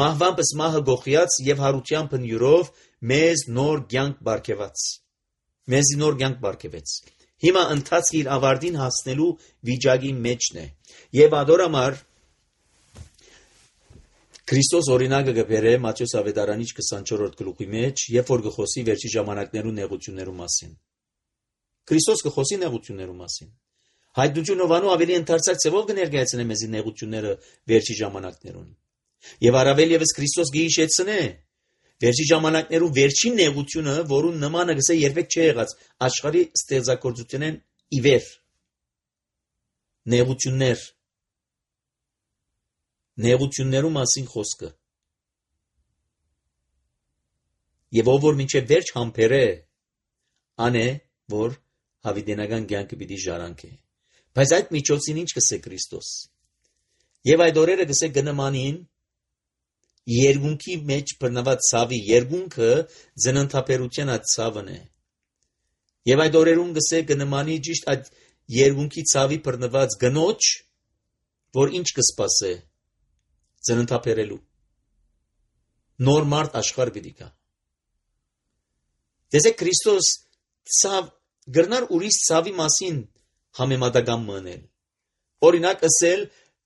մահվամբ մահը գողիած եւ հարությամբ հնյուրով մեզ նոր կյանք բարգեւած։ Մեզի նոր կյանք բարգեւեց։ Հիմա ընթացքի իր ավարտին հասնելու վիճակի մեջն է։ Եվ ադորամար Քրիստոս օրինակը կբերե Մատթեոս ավետարանիչ քսանչորրորդ գլուխի մեջ, երբ որ կխոսի վերջի ժամանակներու նեղություններու մասին։ Քրիստոս կխոսի նեղություններու մասին։ Հայտնությունով անու ավելի ընդարձակ ձևով կներկայացնե մեզի նեղությունները վերջի ժամանակներուն։ Եվ առավել եւս Քրիստոս գիհիշեցնե վերջի ժամանակներու վերջին նեղությունը, որուն նմանը գսե երբեք չի եղած աշխարհի ստեղծագործությունեն իվեր։ Նեղություններ Նեղություններու մասին խոսքը։ Եվ ով որ մինչև վերջ համբերե, անե, որ հավիտենական կյանքը պիտի ժառանգե։ Բայց այդ միջոցին ինչ կսե Քրիստոս։ Եվ այդ օրերը կսե գնմանին երկունքի մեջ բռնված ցավի, երկունքը ծննդաբերության այդ ցավն է։ Եվ այդ օրերուն կսե գնմանի ճիշտ այդ երկունքի ցավի բռնված գնոջ, որ ինչ կսպասե ծննդաբերելու։ Նոր մարդ աշխարհ պիտի գա։ Տեսեք Քրիստոս ցավ գրնար ուրիշ ցավի մասին համեմատական մնել։ Օրինակ ասել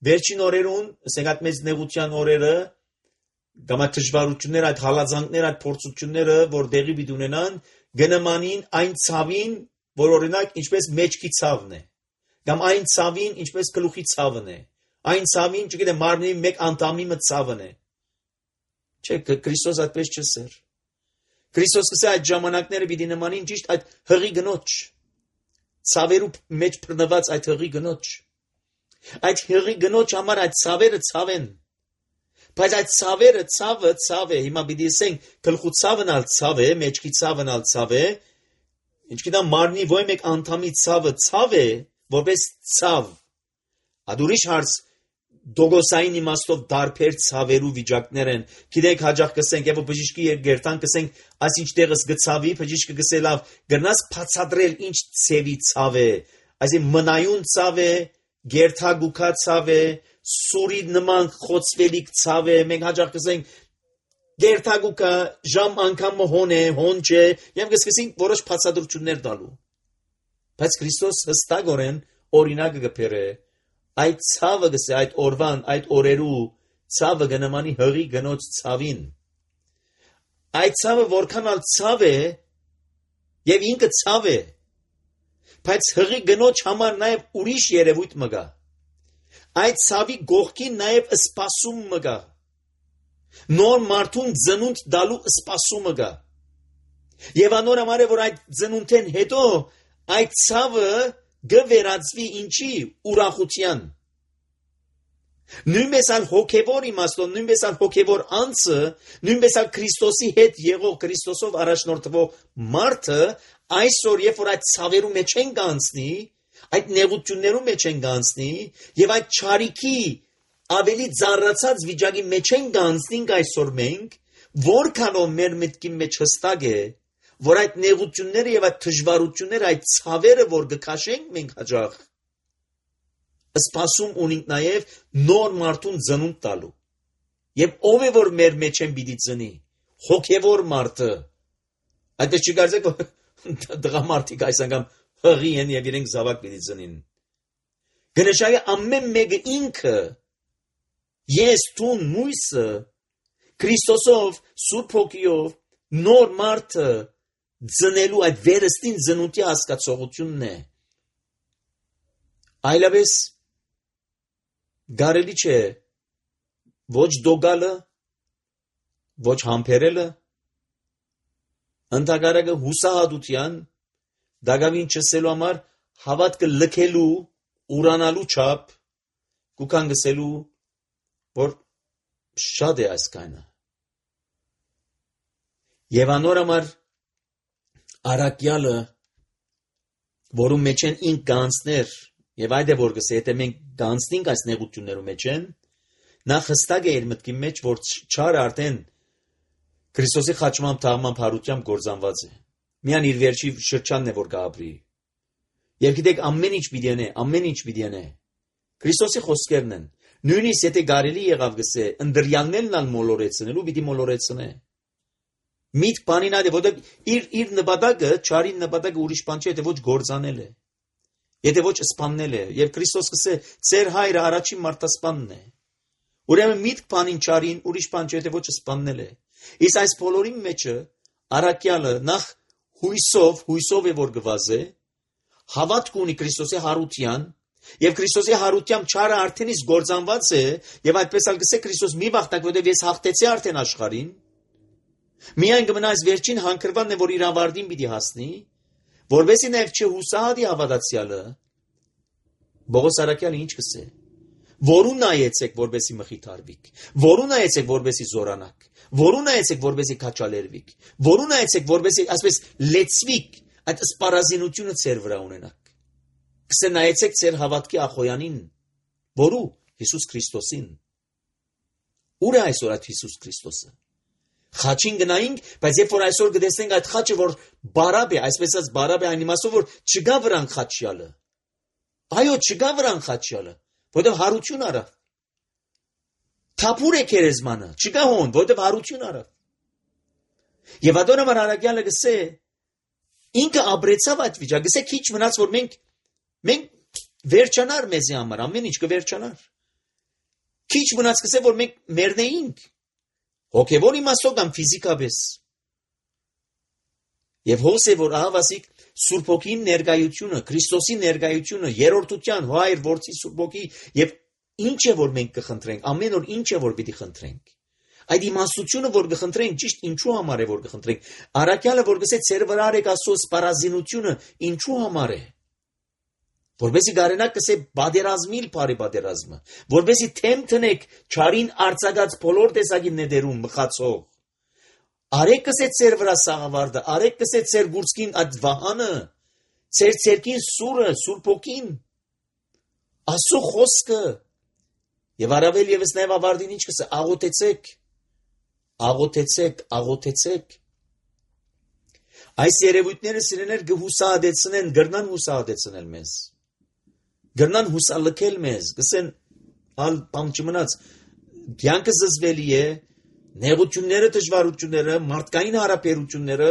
վերջին օրերուն, ասենք այդ մեծ նեղության օրերը, կամ այդ դժվարությունները, այդ հալածանքները, այդ փորձությունները, որ դեղի պիտի ունենան, գնմանին այն ցավին, որ օրինակ ինչպես մեջքի ցավն է, կամ այն ցավին, ինչպես գլուխի ցավն է, այն ցավին, չգիտեմ, մարմնի մեկ անդամի մը ցավն է։ Չէ, Քրիստոս այդպես չսեր։ Քրիստոս կսե այդ ժամանակները պիտի նմանին ճիշտ այդ հղի գնոջ, ցավերու մեջ բռնված այդ հղի գնոջ։ Այդ հղի գնոջ համար այդ ցավերը ցավ են։ Բայց այդ ցավերը ցավը ցավ է, հիմա պիտի ասենք գլխու ցավն ալ ցավ է, մեջքի ցավն ալ ցավ է, ինչքան մարմնի ոյ մեկ անդամի ցավը ցավ է, որպես ցավ։ Ադուրիշ հարց դոգոսային իմաստով դարբեր ցավերու վիճակներ են։ Գիտեք հաջող կսենք, եւ բժիշկի երգերտան կսենք, այս ինչ տեղս գցավի, բժիշկը գսե լավ, գրնաս բացատրել ինչ ցևի ցավ է։ Այսինքն մնայուն ցավ է, գերթագուքա ցավ է, սուրի նման խոցվելիք ցավ է, մենք հաջող կսենք գերթագուքա ժամ անգամ հոն է, հոն չէ, եւ կսկսենք որոշ բացատրություններ տալու։ Բայց Քրիստոս հստակորեն օրինակը կբերե Այդ ցավը գսե այդ օրվան, այդ օրերու ցավը գնամանի հղի գնոց ցավին։ Այդ ցավը որքան ալ ցավ է եւ ինքը ցավ է, բայց հղի գնոջ համար նաեւ ուրիշ երևույթ մը գա։ Այդ ցավի գողքին նաեւ սպասում մը գա։ Նոր մարդուն ծնունդ դալու սպասումը գա։ Եվ անոր համար է որ այդ ծնունդեն հետո այդ ցավը գվերածվի ինչի ուրախության։ Նույնպես ալ հոգևոր իմաստով, նույնպես ալ հոգևոր անձը, նույնպես ալ Քրիստոսի հետ եղող Քրիստոսով առաջնորդվող մարդը այսօր երբ որ այդ ցավերու մեջ են գանցնի, այդ նեղություններու մեջ են գանցնի եւ այդ չարիքի ավելի ծառացած վիճակի մեջ են գանցնինք այսօր մենք, որքանով մեր մտքի մեջ հստակ է, որ այդ նեղությունները եւ այդ դժվարությունները, այդ ցավերը, որ գքաշենք մենք հաջող, սպասում ունենք նաեւ նոր մարդուն ծնունդ տալու։ Եվ ով է որ մեր մեջ են պիտի ծնի, հոգևոր մարդը։ Այդպես չկարծեք դղամարդիկ այս անգամ հղի են եւ իրենք զավակ պիտի ծնին։ Գնշայը ամեն մեկը ինքը ես տուն մույսը Քրիստոսով Սուրբ Հոգիով նոր մարդը ծնելու այդ վերստին ծնունդի հասկացողությունն է։ Այլապես գարելի չէ ոչ դոգալը, ոչ համբերելը, ընդհակառակը հուսահատության, դագավին չսելու համար հավատքը լքելու, ուրանալու չափ, կուքան գսելու, որ շատ է այս կայնը։ Եվ անոր համար արակյալը, որում մեջ են ինք գանցներ, եւ այդ է որ գսե, եթե մենք գանցնենք այս նեղություններու մեջ են, նա հստակ է իր մտքի մեջ, որ չարը արդեն Քրիստոսի խաչմամբ թաղմամբ հարությամբ գործանված է։ Միան իր վերջի շրջանն է որ գաբրի։ Եվ գիտեք ամեն ինչ պիտի անե, ամեն ինչ պիտի անե։ Քրիստոսի խոսքերն են։ Նույնիսկ եթե կարելի եղավ գսե, ընդրյալներն ալ մոլորեցնելու պիտի մոլորեցնե։ Միտ բանին այդ է, որտեղ իր իր նպատակը, չարի նպատակը ուրիշ բան չէ, եթե ոչ գործանել է։ Եթե ոչ սպաննել է, եւ Քրիստոս կսե, ծեր հայրը առաջին մարդասպանն է։ Ուրեմն միտք բանին չարին ուրիշ բան չէ, եթե ոչ սպաննել է։ Իսկ այս բոլորի մեջը արակյալը նախ հույսով, հույսով է որ գվազե, հավատք ունի Քրիստոսի հարության, եւ Քրիստոսի հարությամբ չարը արդեն իսկ գործանված է, եւ այդպես ալ կսե Քրիստոս մի վախտակ, որտեղ ես հաղթեցի արդեն աշխարհին։ Միայն կմնա այս վերջին հանգրվանն է, որ իր ավարտին պիտի հասնի, որովհետեւ նաև չհուսահատի հավատացյալը, Բողոս Արաքյալը ինչ կսե, որու նայեցեք, որբեսի մխիթարվիք, որու նայեցեք, որբեսի զորանաք, որու նայեցեք, որբեսի քաչալերվիք, որու նայեցեք, որբեսի ասես լեցվիք, այդ սպառազինությունը ծեր վրա ունենաք։ Կսե նայեցեք ծեր հավատքի ախոյանին, որու Հիսուս Քրիստոսին։ Ուր է այսօր այդ Հիսուս Քրիստոսը։ Խաչին գնայինք, բայց երբ որ այսօր գտեսնենք այդ խաչը, որ բարաբ է, այսպես ասած բարաբ է այն իմաստով, որ չգա վրան խաչյալը։ Այո, չգա վրան խաչյալը, որտեղ հարություն արավ։ Թափուր է քերեզմանը, չգա հոն, որտեղ հարություն արավ։ Եվ ադոնը մար Արաքյալը գսե, ինքը ապրեցավ այդ վիճակը, գսե քիչ մնաց, որ մենք մենք վերջանար մեզի համար, ամեն ինչ կվերջանար։ Քիչ մնաց գսե, որ մենք մեռնեինք։ Հոգևոր իմաստով կամ ֆիզիկապես։ Եվ հոս է որ ահավասիկ Սուրբ Հոգի ներկայությունը, Քրիստոսի ներկայությունը, երրորդության, Հայր, Որդի, Սուրբ Հոգի եւ ինչ է որ մենք կխնդրենք, ամեն օր ինչ է որ պիտի խնդրենք։ Այդ իմաստությունը որ կխնդրենք, ճիշտ ինչու համար է որ կխնդրենք։ Արաքյալը որ գսե ծեր վրա արեք Աստծո սպառազինությունը, ինչու համար է։ Որբեսի գարենակ կսե բادرազմիլ բարի բادرազմը, որբեսի թեմ տնեք չարին արձակած բոլոր տեսակի նետերում մխացող։ Արեք կսե ծեր վրա սաղավարտը, արեք կսե ծեր գուրցքին այդ վահանը, ծեր ցերքին սուրը, Սուրբ Հոգին, Աստծո խոսքը։ Եվ առավել եւս նաեւ ավարտին ինչ կսե, աղոթեցեք, աղոթեցեք, աղոթեցեք։ Այս երևույթները սիրեներ կհուսահատեցնեն, գրնան հուսահատեցնել մեզ։ Գրնան հուսալքել մեզ, գսեն ալ բամ չմնաց, կյանքը զզվելի է, նեղությունները, դժվարությունները, մարդկային հարաբերությունները,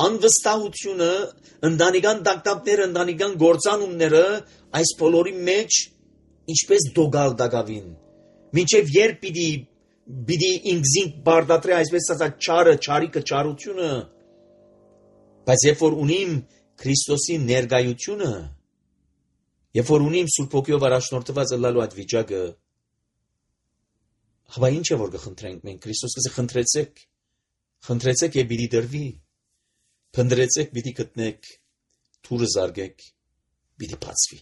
անվստահությունը, ընտանեկան տակտապները, ընտանեկան գործանումները, այս բոլորի մեջ ինչպես դոգալ դագավին, մինչև երբ պիտի պիտի ինքզինք բարդատրի այսպես ասած չարը, չարիկը, չարությունը, բայց երբ որ ունիմ Քրիստոսի ներկայությունը, երբ որ ունիմ Սուրբ Հոգիով առաջնորդված ըլլալու այդ վիճակը, հա ինչ է որ կխնդրենք մենք, Քրիստոս կսե խնդրեցեք, խնդրեցեք եւ պիտի դրվի, փնտրեցեք պիտի գտնեք, թուրը զարգեք, պիտի բացվի։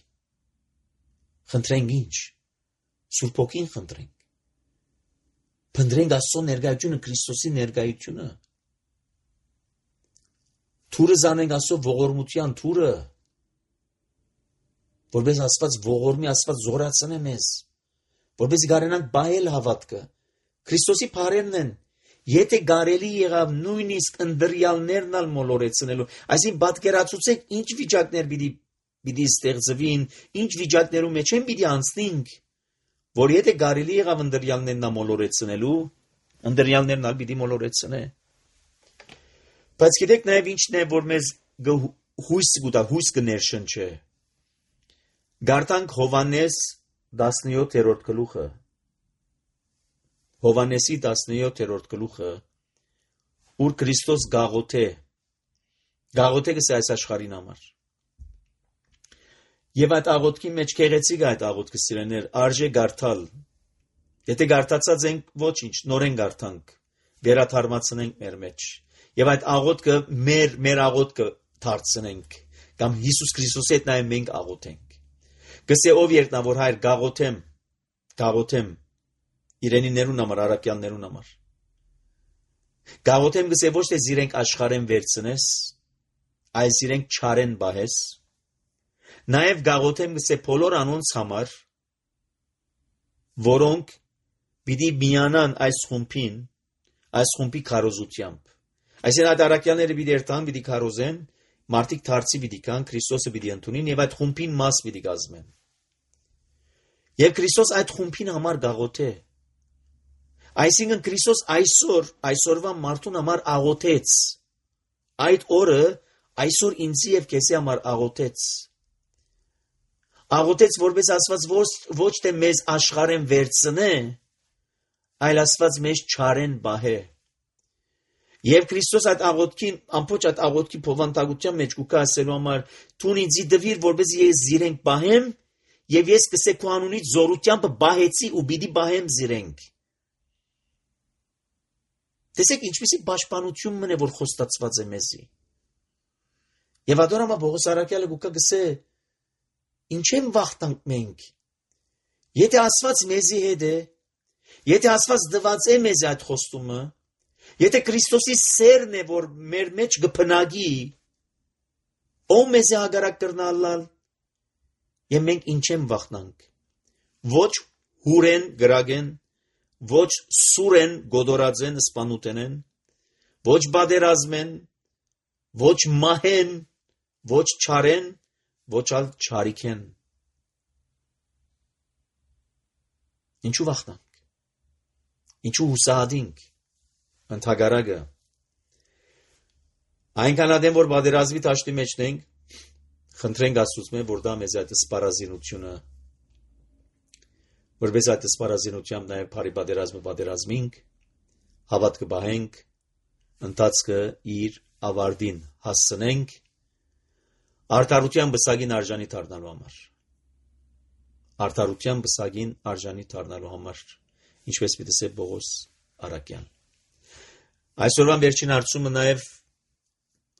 Խնդրենք ինչ, Սուրբ Հոգին խնդրենք, փնտրենք Աստծո ներկայությունը, Քրիստոսի ներկայությունը, թուրը զանենք Աստծո ողորմության թուրը, որպես Աստված ողորմի, Աստված զորացնե մեզ, որպես գարենանք բայել հավատքը, Քրիստոսի փարերն են, եթե կարելի եղավ նույնիսկ ընդրյալներն ալ մոլորեցնելու, այսինքն պատկերացուցեք ինչ վիճակներ պիտի պիտի ստեղծվին, ինչ վիճակներում մեջ են պիտի անցնենք, որ եթե կարելի եղավ ընդրյալներն ալ մոլորեցնելու, ընդրյալներն ալ պիտի մոլորեցնե։ Բայց գիտեք նաև ինչն է, որ մեզ հույս կուտա, հույս կներշնչե։ Գարտանք Հովհաննես տասնյոթերորդ գլուխը, Հովհաննեսի տասնյոթերորդ գլուխը, ուր Քրիստոս գաղութե, գաղութե գսե այս աշխարհին համար։ Եվ այդ աղոթքի մեջ քեղեցիկ է այդ աղոթքը սիրեներ, արժե գարտալ։ Եթե գարտացած ենք, ոչինչ, նորեն գարտանք, վերաթարմացնենք մեր մեջ։ Եվ այդ աղոթքը մեր մեր աղոթքը դարձնենք, կամ Հիսուս Քրիստոսի հետ նաև մենք աղոթենք։ Գսե ով երկնավոր Հայր, գաղութեմ, գաղութեմ իրենի ներուն համար, առաքյալներուն համար։ Գաղութեմ գսե ոչ թե զիրենք աշխարհեն վերցնես, այլ զիրենք չարեն բահես։ Նաև գաղութեմ գսե բոլոր անոնց համար, որոնք պիտի միանան այս խումբին, այս խումբի քարոզությամբ։ Այսինքն այդ առաքյալները պիտի երթան, պիտի քարոզեն, մարդիկ դարձի պիտի կան, Քրիստոսը պիտի ընդունին եւ այդ խումբին մաս պիտի կազմեն։ Եվ Քրիստոս այդ խումբին համար գաղութե։ Այսինքն Քրիստոս այսօր, այսօրվա մարդուն համար աղոթեց։ Այդ օրը այսօր ինձի եւ քեզի համար աղոթեց։ Աղոթեց, որպես Աստված ոչ, ոչ թե մեզ աշխարհեն վերցնե, այլ Աստված մեզ չարեն բահե։ Եվ Քրիստոս այդ աղոթքին, ամբողջ այդ աղոթքի փոխանցության մեջ կուկա ասելու համար, «Տուն ինձի դվիր, որպես ես զիրենք բահեմ, եւ ես կսե քո անունից զորությամբ բահեցի ու պիտի բահեմ զիրենք»։ Տեսեք ինչպիսի պաշտպանություն մնե, որ խոստացված է մեզի։ Եվ ադորամա Պողոս առաքյալը կուկա գսե, ինչ են վախտանք մենք։ Եթե Աստված մեզի հետ է, եթե Աստված դված է մեզ այդ խոստումը, եթե Քրիստոսի սերն է, որ մեր մեջ գփնագի, ով մեզ է հագարակ կրնալալ, եւ մենք ինչ են վախտանք։ Ոչ հուրեն գրագեն, ոչ սուրեն գոդորածեն սպանուտենեն, ոչ բادرազմեն, ոչ մահեն, ոչ չարեն, ոչ ալ չարիքեն։ Ինչու վախտանք։ Ինչու հուսահատինք։ Ընդհակառակը այնքան ադեմ որ բادرազմի տաշտի մեջ ենք, խնդրենք Աստծուց մե որ դա մեզ այդ սպառազինությունը, որպես այդ սպառազինությամբ նաև բարի բادرազմը բادرազմինք, հավատքը բահենք, ընթացքը իր ավարտին հասցնենք, արդարության բսագին արժանի դառնալու համար։ Արդարության բսագին արժանի դառնալու համար, ինչպես պիտի ասե Պողոս առաքյալ։ Այսօրվան վերջին հարցումը նաև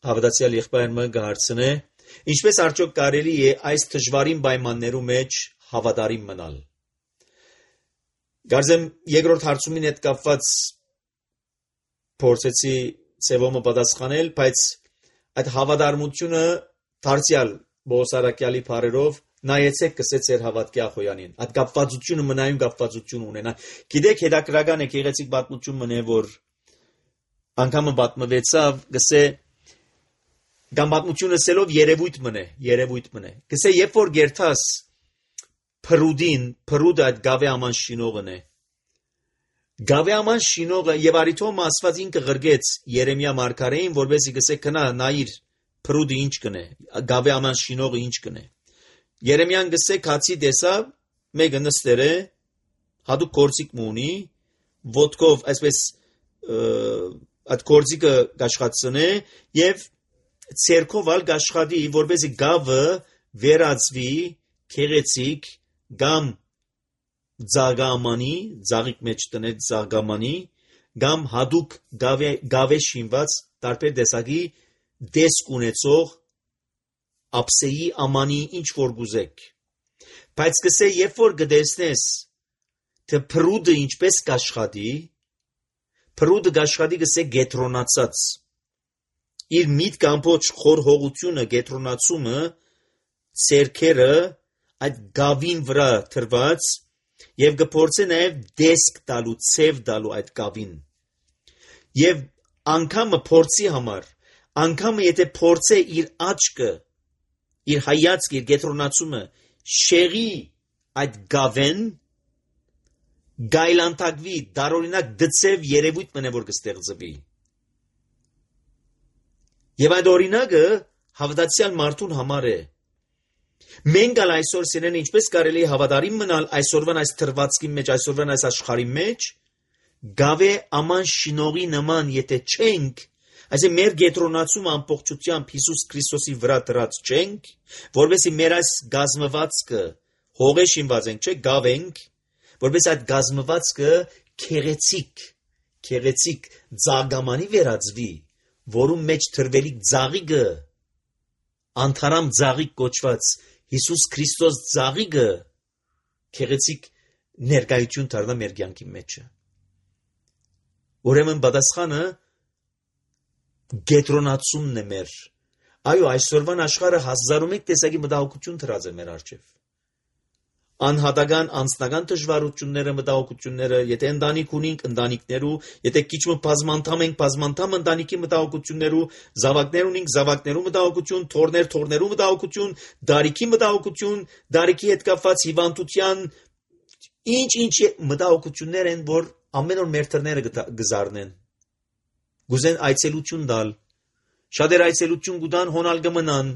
հավատացյալ եղբայրը կհարցնե, ինչպես արդյոք կարելի է այս դժվարին պայմաններում մեջ հավատարիմ մնալ։ Գարձեմ երկրորդ հարցումին հետ կապված փորձեցի ծևոմը պատասխանել, բայց այդ հավատարմությունը դարձյալ Պողոս առաքյալի բառերով նայեցեք կսեց էր հավատքի ախոյանին։ Այդ կապվածությունը մնայուն կապվածություն ունենա։ Գիտեք հետաքրական է գեղեցիկ պատմություն մնե, որ անգամը պատմվեցավ, գսե կամ պատմությունը ասելով երևույթ մնե, երևույթ մնե։ Գսե երբ որ գերթաս Փրուդին, Փրուդը այդ գավե աման շինողն է։ Գավե աման շինողը եւ արիթոմ Աստված ինքը ղրգեց Երեմիա մարգարեին, որովհետեւ գսե քնա նայիր Փրուդը ինչ կնե, գավե աման շինողը ինչ կնե։ Երեմիան գսե քացի տեսավ մեկը նստեր է, հատուկ գործիք ունի, ոտքով այսպես այդ գործիքը աշխատցնե եւ ցերկով ալ աշխատի, որպեսզի գավը վերածվի քեղեցիկ կամ ձագամանի, ձաղիկ մեջ տնեց ձագամանի, կամ հատուկ գավե շինված տարբեր տեսակի դեսք ունեցող ափսեի ամանի ինչ որ գուզեք։ Բայց կսե երբ որ գտեսնես թե փրուդը ինչպես կաշխատի, փրուդը կաշխատի կսե գետրոնացած։ Իր միտք ամբողջ խորհողությունը գետրոնացումը ցերքերը այդ գավին վրա թրված եւ կփորձե նաեւ դեսք տալու, ցև տալու այդ գավին։ Եվ անգամը փորձի համար, անգամը եթե փորձե իր աչքը, իր հայացքը, իր գետրոնացումը շեղի այդ գավեն, գայլանտակվի, դարօրինակ դծև երևույթ մնե որ կստեղծվի։ Եվ այդ օրինակը հավատացյալ մարդուն համար է։ Մենք ալ այսօր սիրեն ինչպես կարելի է հավատարիմ մնալ այսօրվան այս թրվածքի մեջ, այսօրվան այս աշխարհի մեջ, գավե աման շինողի նման եթե չենք, այսինքն մեր գետրոնացումը ամբողջությամբ Հիսուս Քրիստոսի վրա դրած չենք, որովհետեւ մեր այս գազմվածքը հողե շինված ենք, չէ՞, գավ ենք, որովհետեւ այդ գազմվածքը քեղեցիկ, քեղեցիկ ձագամանի վերածվի, որում մեջ թրվելիք ձաղիգը, անթարամ ձաղիկ կոչված Հիսուս Քրիստոս ձաղիգը քեղեցիկ ներկայություն դառնա մեր կյանքի մեջ։ Ուրեմն պատասխանը գետրոնացումն է մեր։ Այո, այսօրվան աշխարհը հազար ու մեկ տեսակի մտահոգություն դրած է մեր առջև։ Անհատական, անձնական դժվարությունները, մտահոգությունները, եթե ընտանիք ունենք, ընտանիքներու, եթե քիչ բազմանդամ ենք, բազմանդամ ընտանիքի մտահոգություններու, զավակներ ունենք, զավակներու մտահոգություն, թորներ, թորներու մտահոգություն, դարիքի մտահոգություն, դարիքի հետ կապված հիվանդության, ինչ-ինչ մտահոգություններ են, որ ամեն օր մեր թռները գզարնեն։ Գուզեն այցելություն տալ, շատեր այցելություն կուտան, հոնալ կմնան,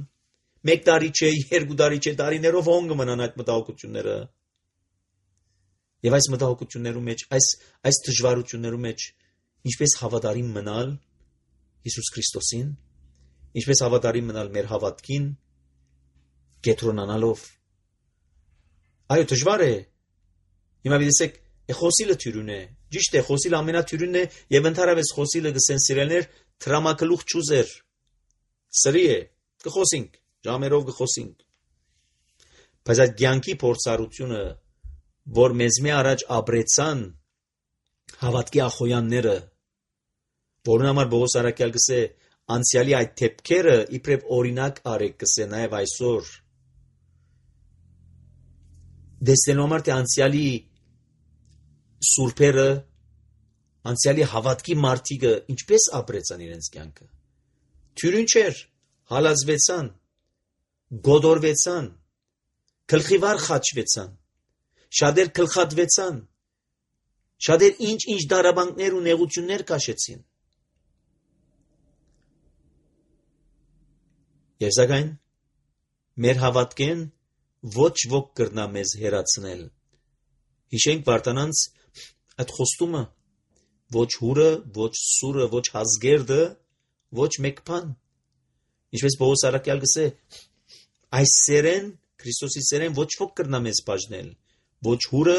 մեկ տարի չէ, երկու տարի չէ, տարիներով հոն կմնան այդ մտահոգությունները։ Եվ այս մտահոգություններու մեջ, այս այս դժվարություններու մեջ ինչպես հավատարիմ մնալ Հիսուս Քրիստոսին, ինչպես հավատարիմ մնալ մեր հավատքին, կետրոնանալով։ Այո, դժվար է։ Հիմա դեսեք, խոսիլը թյուրուն է, ճիշտ է, խոսիլը ամենաթյուրունն է, եւ ընդհանրապես խոսիլը գսեն սիրելներ, տրամակլուխ ճուզեր, սրի է, կխոսենք, ժամերով կխոսենք։ Բայց այդ կյանքի փորձառությունը, որ մեզ մի առաջ ապրեցան հավատքի ախոյանները, որոնց համար Պողոս առաքյալ գսե անցյալի այդ թեփքերը իբրև օրինակ արեք գսե նաեւ այսօր։ Դեսնելու համար թե անցյալի սուրբերը, անցյալի հավատքի մարդիկը ինչպես ապրեցան իրենց կյանքը։ Թյուրին չէր, հալածվեցան, գոդորվեցան, գլխիվար խաչվեցան, շատեր գլխատվեցան, շատեր ինչ-ինչ դարաբանքներ ու նեղություններ կաշեցին։ Եվ սակայն մեր հավատքեն ոչ ոք կրնա մեզ հերացնել։ Հիշենք Վարդանանց այդ խոստումը, ոչ հուրը, ոչ սուրը, ոչ հազգերդը, ոչ մեկ բան։ Ինչպես Պողոս առաքյալ գսե, այս սերեն, Քրիստոսի սերեն ոչ ոք կրնա մեզ բաժնել, ոչ հուրը,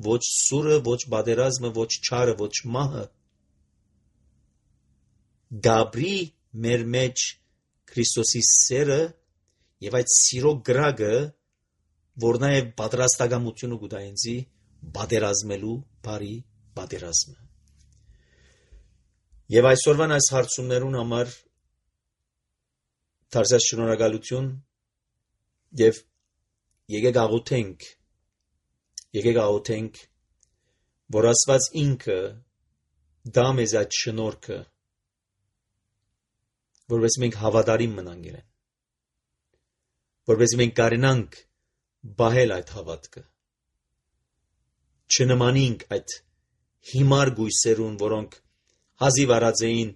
ոչ սուրը, ոչ բادرազմը, ոչ չարը, ոչ մահը։ Գաբրի մեր մեջ Քրիստոսի սերը եւ այդ սիրո գրագը, որ նաեւ պատրաստակամությունը կուտա ինձի բادرազմելու բարի բادرազմը։ Եվ այսօրվան այս հարցումներուն համար դարձած շնորհակալություն եւ եկեք աղոթենք, եկեք աղոթենք, որ Աստված ինքը դա մեզ այդ շնորհքը, որովհետեւ մենք հավատարիմ մնանք իրեն, որովհետեւ մենք կարենանք բահել այդ հավատքը, չնմանինք այդ հիմար գույսերուն, որոնք հազիվ արած էին,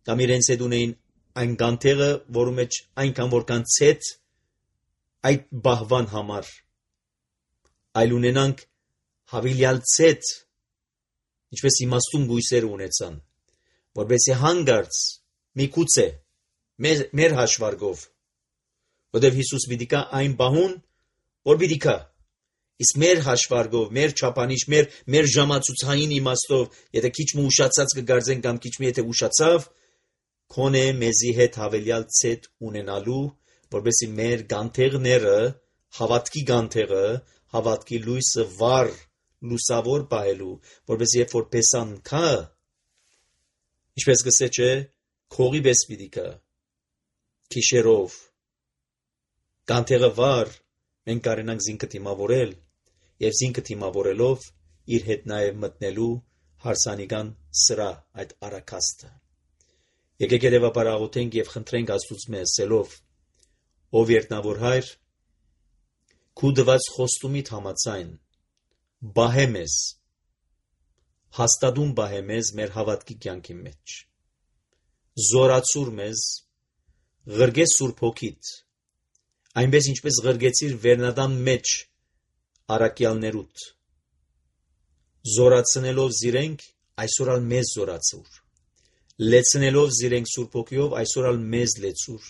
կամ իրենց հետ ունեին այն կանթեղը, որու մեջ այնքան որքան ցետ այդ բահվան համար, այլ ունենանք հավելյալ ցետ, ինչպես իմաստուն բույսեր ունեցան, որովհետեւ հանգարց միգուցե մեր, մեր հաշվարկով, որովհետեւ Հիսուս պիտի կա այն բահուն, որ պիտի կա, իսկ մեր հաշվարկով, մեր չափանիշ, մեր մեր ժամացուցային իմաստով, եթե քիչ մը ուշացած կգարձեն կամ քիչ մը եթե ուշացավ, քոնե մեզի հետ հավելյալ ցետ ունենալու, որովհետեւ մեր գանթեղները, հավատքի գանթեղը, հավատքի լույսը վառ լուսավոր պահելու, որովհետեւ երբ որ պեսան կա, ինչպես գսե չէ, քողի պես պիտի կա, քիշերով, գանթեղը վառ, մենք կարենանք զինքը դիմավորել, եւ զինքը դիմավորելով իր հետ նաեւ մտնելու հարսանիքան սրա այդ արակաստը։ Եկեք երևաբար աղոթենք եւ խնդրենք Աստծուց մեզ սելով, ով երտնավոր հայր, քու դված խոստումիդ համաձայն բահե մեզ, հաստատուն բահե մեզ մեր հավատքի կյանքի մեջ, զորացուր մեզ, ղրգե Սուրբ Հոգիդ, այնպես ինչպես ղրգեցիր Վերնադան մեջ արակյալներուտ, զորացնելով զիրենք, այսօր ալ մեզ զորացուր, լեցնելով զիրենք Սուրբ Հոգիով, այսօր ալ մեզ լեցուր,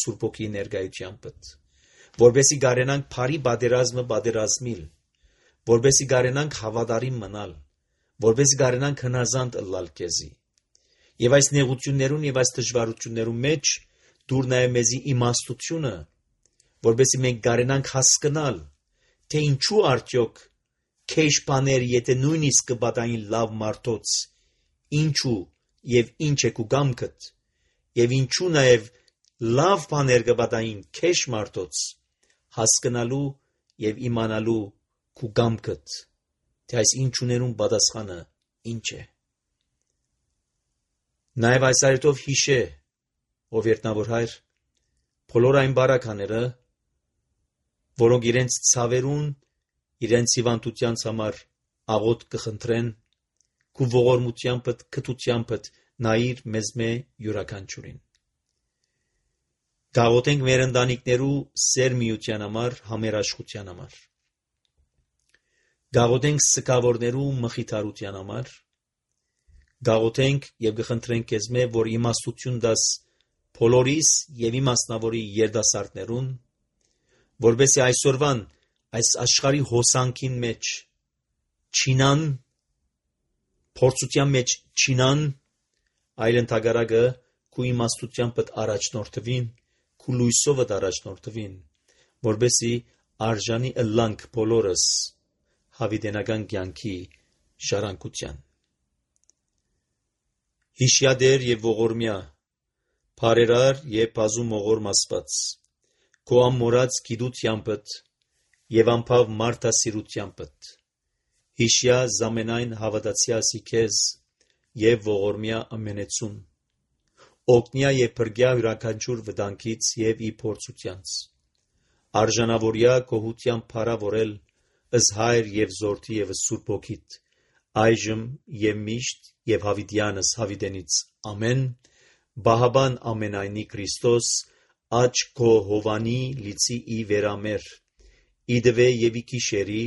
Սուրբ Հոգի ներկայությամբ, որբեսի գարենանք փարի բادرազմը բادرազմիլ, որբեսի գարենանք հավատարիմ մնալ, որբեսի գարենանք հնազանդ ըլլալ քեզի, եւ այս նեղություններուն եւ այս դժվարություններուն մեջ դուր նաեւ մեզի իմաստությունը, որբեսի մենք գարենանք հասկանալ, թե ինչու արդյոք քեշ բաներ, եթե նույնիսկ կբադային լավ մարդոց, ինչու եւ ինչ է քու գամքդ, եւ ինչու նաեւ լավ բաներ կբադային քեշ մարդոց, հասկանալու եւ իմանալու քու գամքդ, թե այս ինչուներուն պատասխանը ինչ է։ Նաեւ այս այրտով հիշե, ով երտնավոր հայր, բոլոր այն բարակաները, որոնք իրենց ցավերուն, իրենց հիվանդությանց համար աղոթ կխնդրեն, քու ողորմությամբ, քթությամբ նայիր մեզ մե յուրաքանչյուրին։ Գաղոթենք մեր ընտանիքներու սեր միության համար, համերաշխության համար։ Գաղոթենք սկավորներու մխիթարության համար։ Գաղոթենք եւ կխնդրենք քեզ մե, որ իմաստություն դաս բոլորիս եւ իմաստնավորի երդասարտներուն, որբեսի այսօրվան այս աշխարհի հոսանքին մեջ չինան, փորձության մեջ չինան, այլ ընդհակառակը քու իմաստությամբ առաջնորդվին, քու լույսով առաջնորդվին, որբեսի արժանի ըլլանք բոլորս հավիտենական կյանքի ժառանգության։ Հիշյադեր եւ ողորմյա, բարերար եւ բազում ողորմ Աստված, քո ամորած գիտությանդ եւ անփավ մարդասիրությանդ, հիշյա զամենայն հավատացյալի քեզ եւ ողորմյա ամենեցուն, օգնյա եւ բրգյա յուրաքանչյուր վտանգից եւ ի փորձությանց, արժանավորյա գոհության փարավորել ըս հայր եւ զորթի եւ Սուրբ Հոգիտ, այժմ եւ միշտ եւ հավիտյանս հավիտենից ամեն, բահաբան ամենայնի Քրիստոս, աչ քո հովանի լիցի ի վերամեր, իդվե եւ ի քիշերի,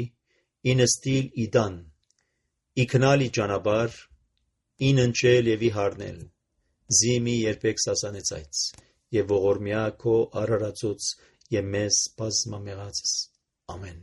ի նստիլ ի դան, ի քնալ ի ճանապար, ի ննչել եւ ի հարնել, զիմի երբեք սասանեցայց, եւ ողորմյա քո արարածոց եւ մեզ բազմամեղածս, ամեն։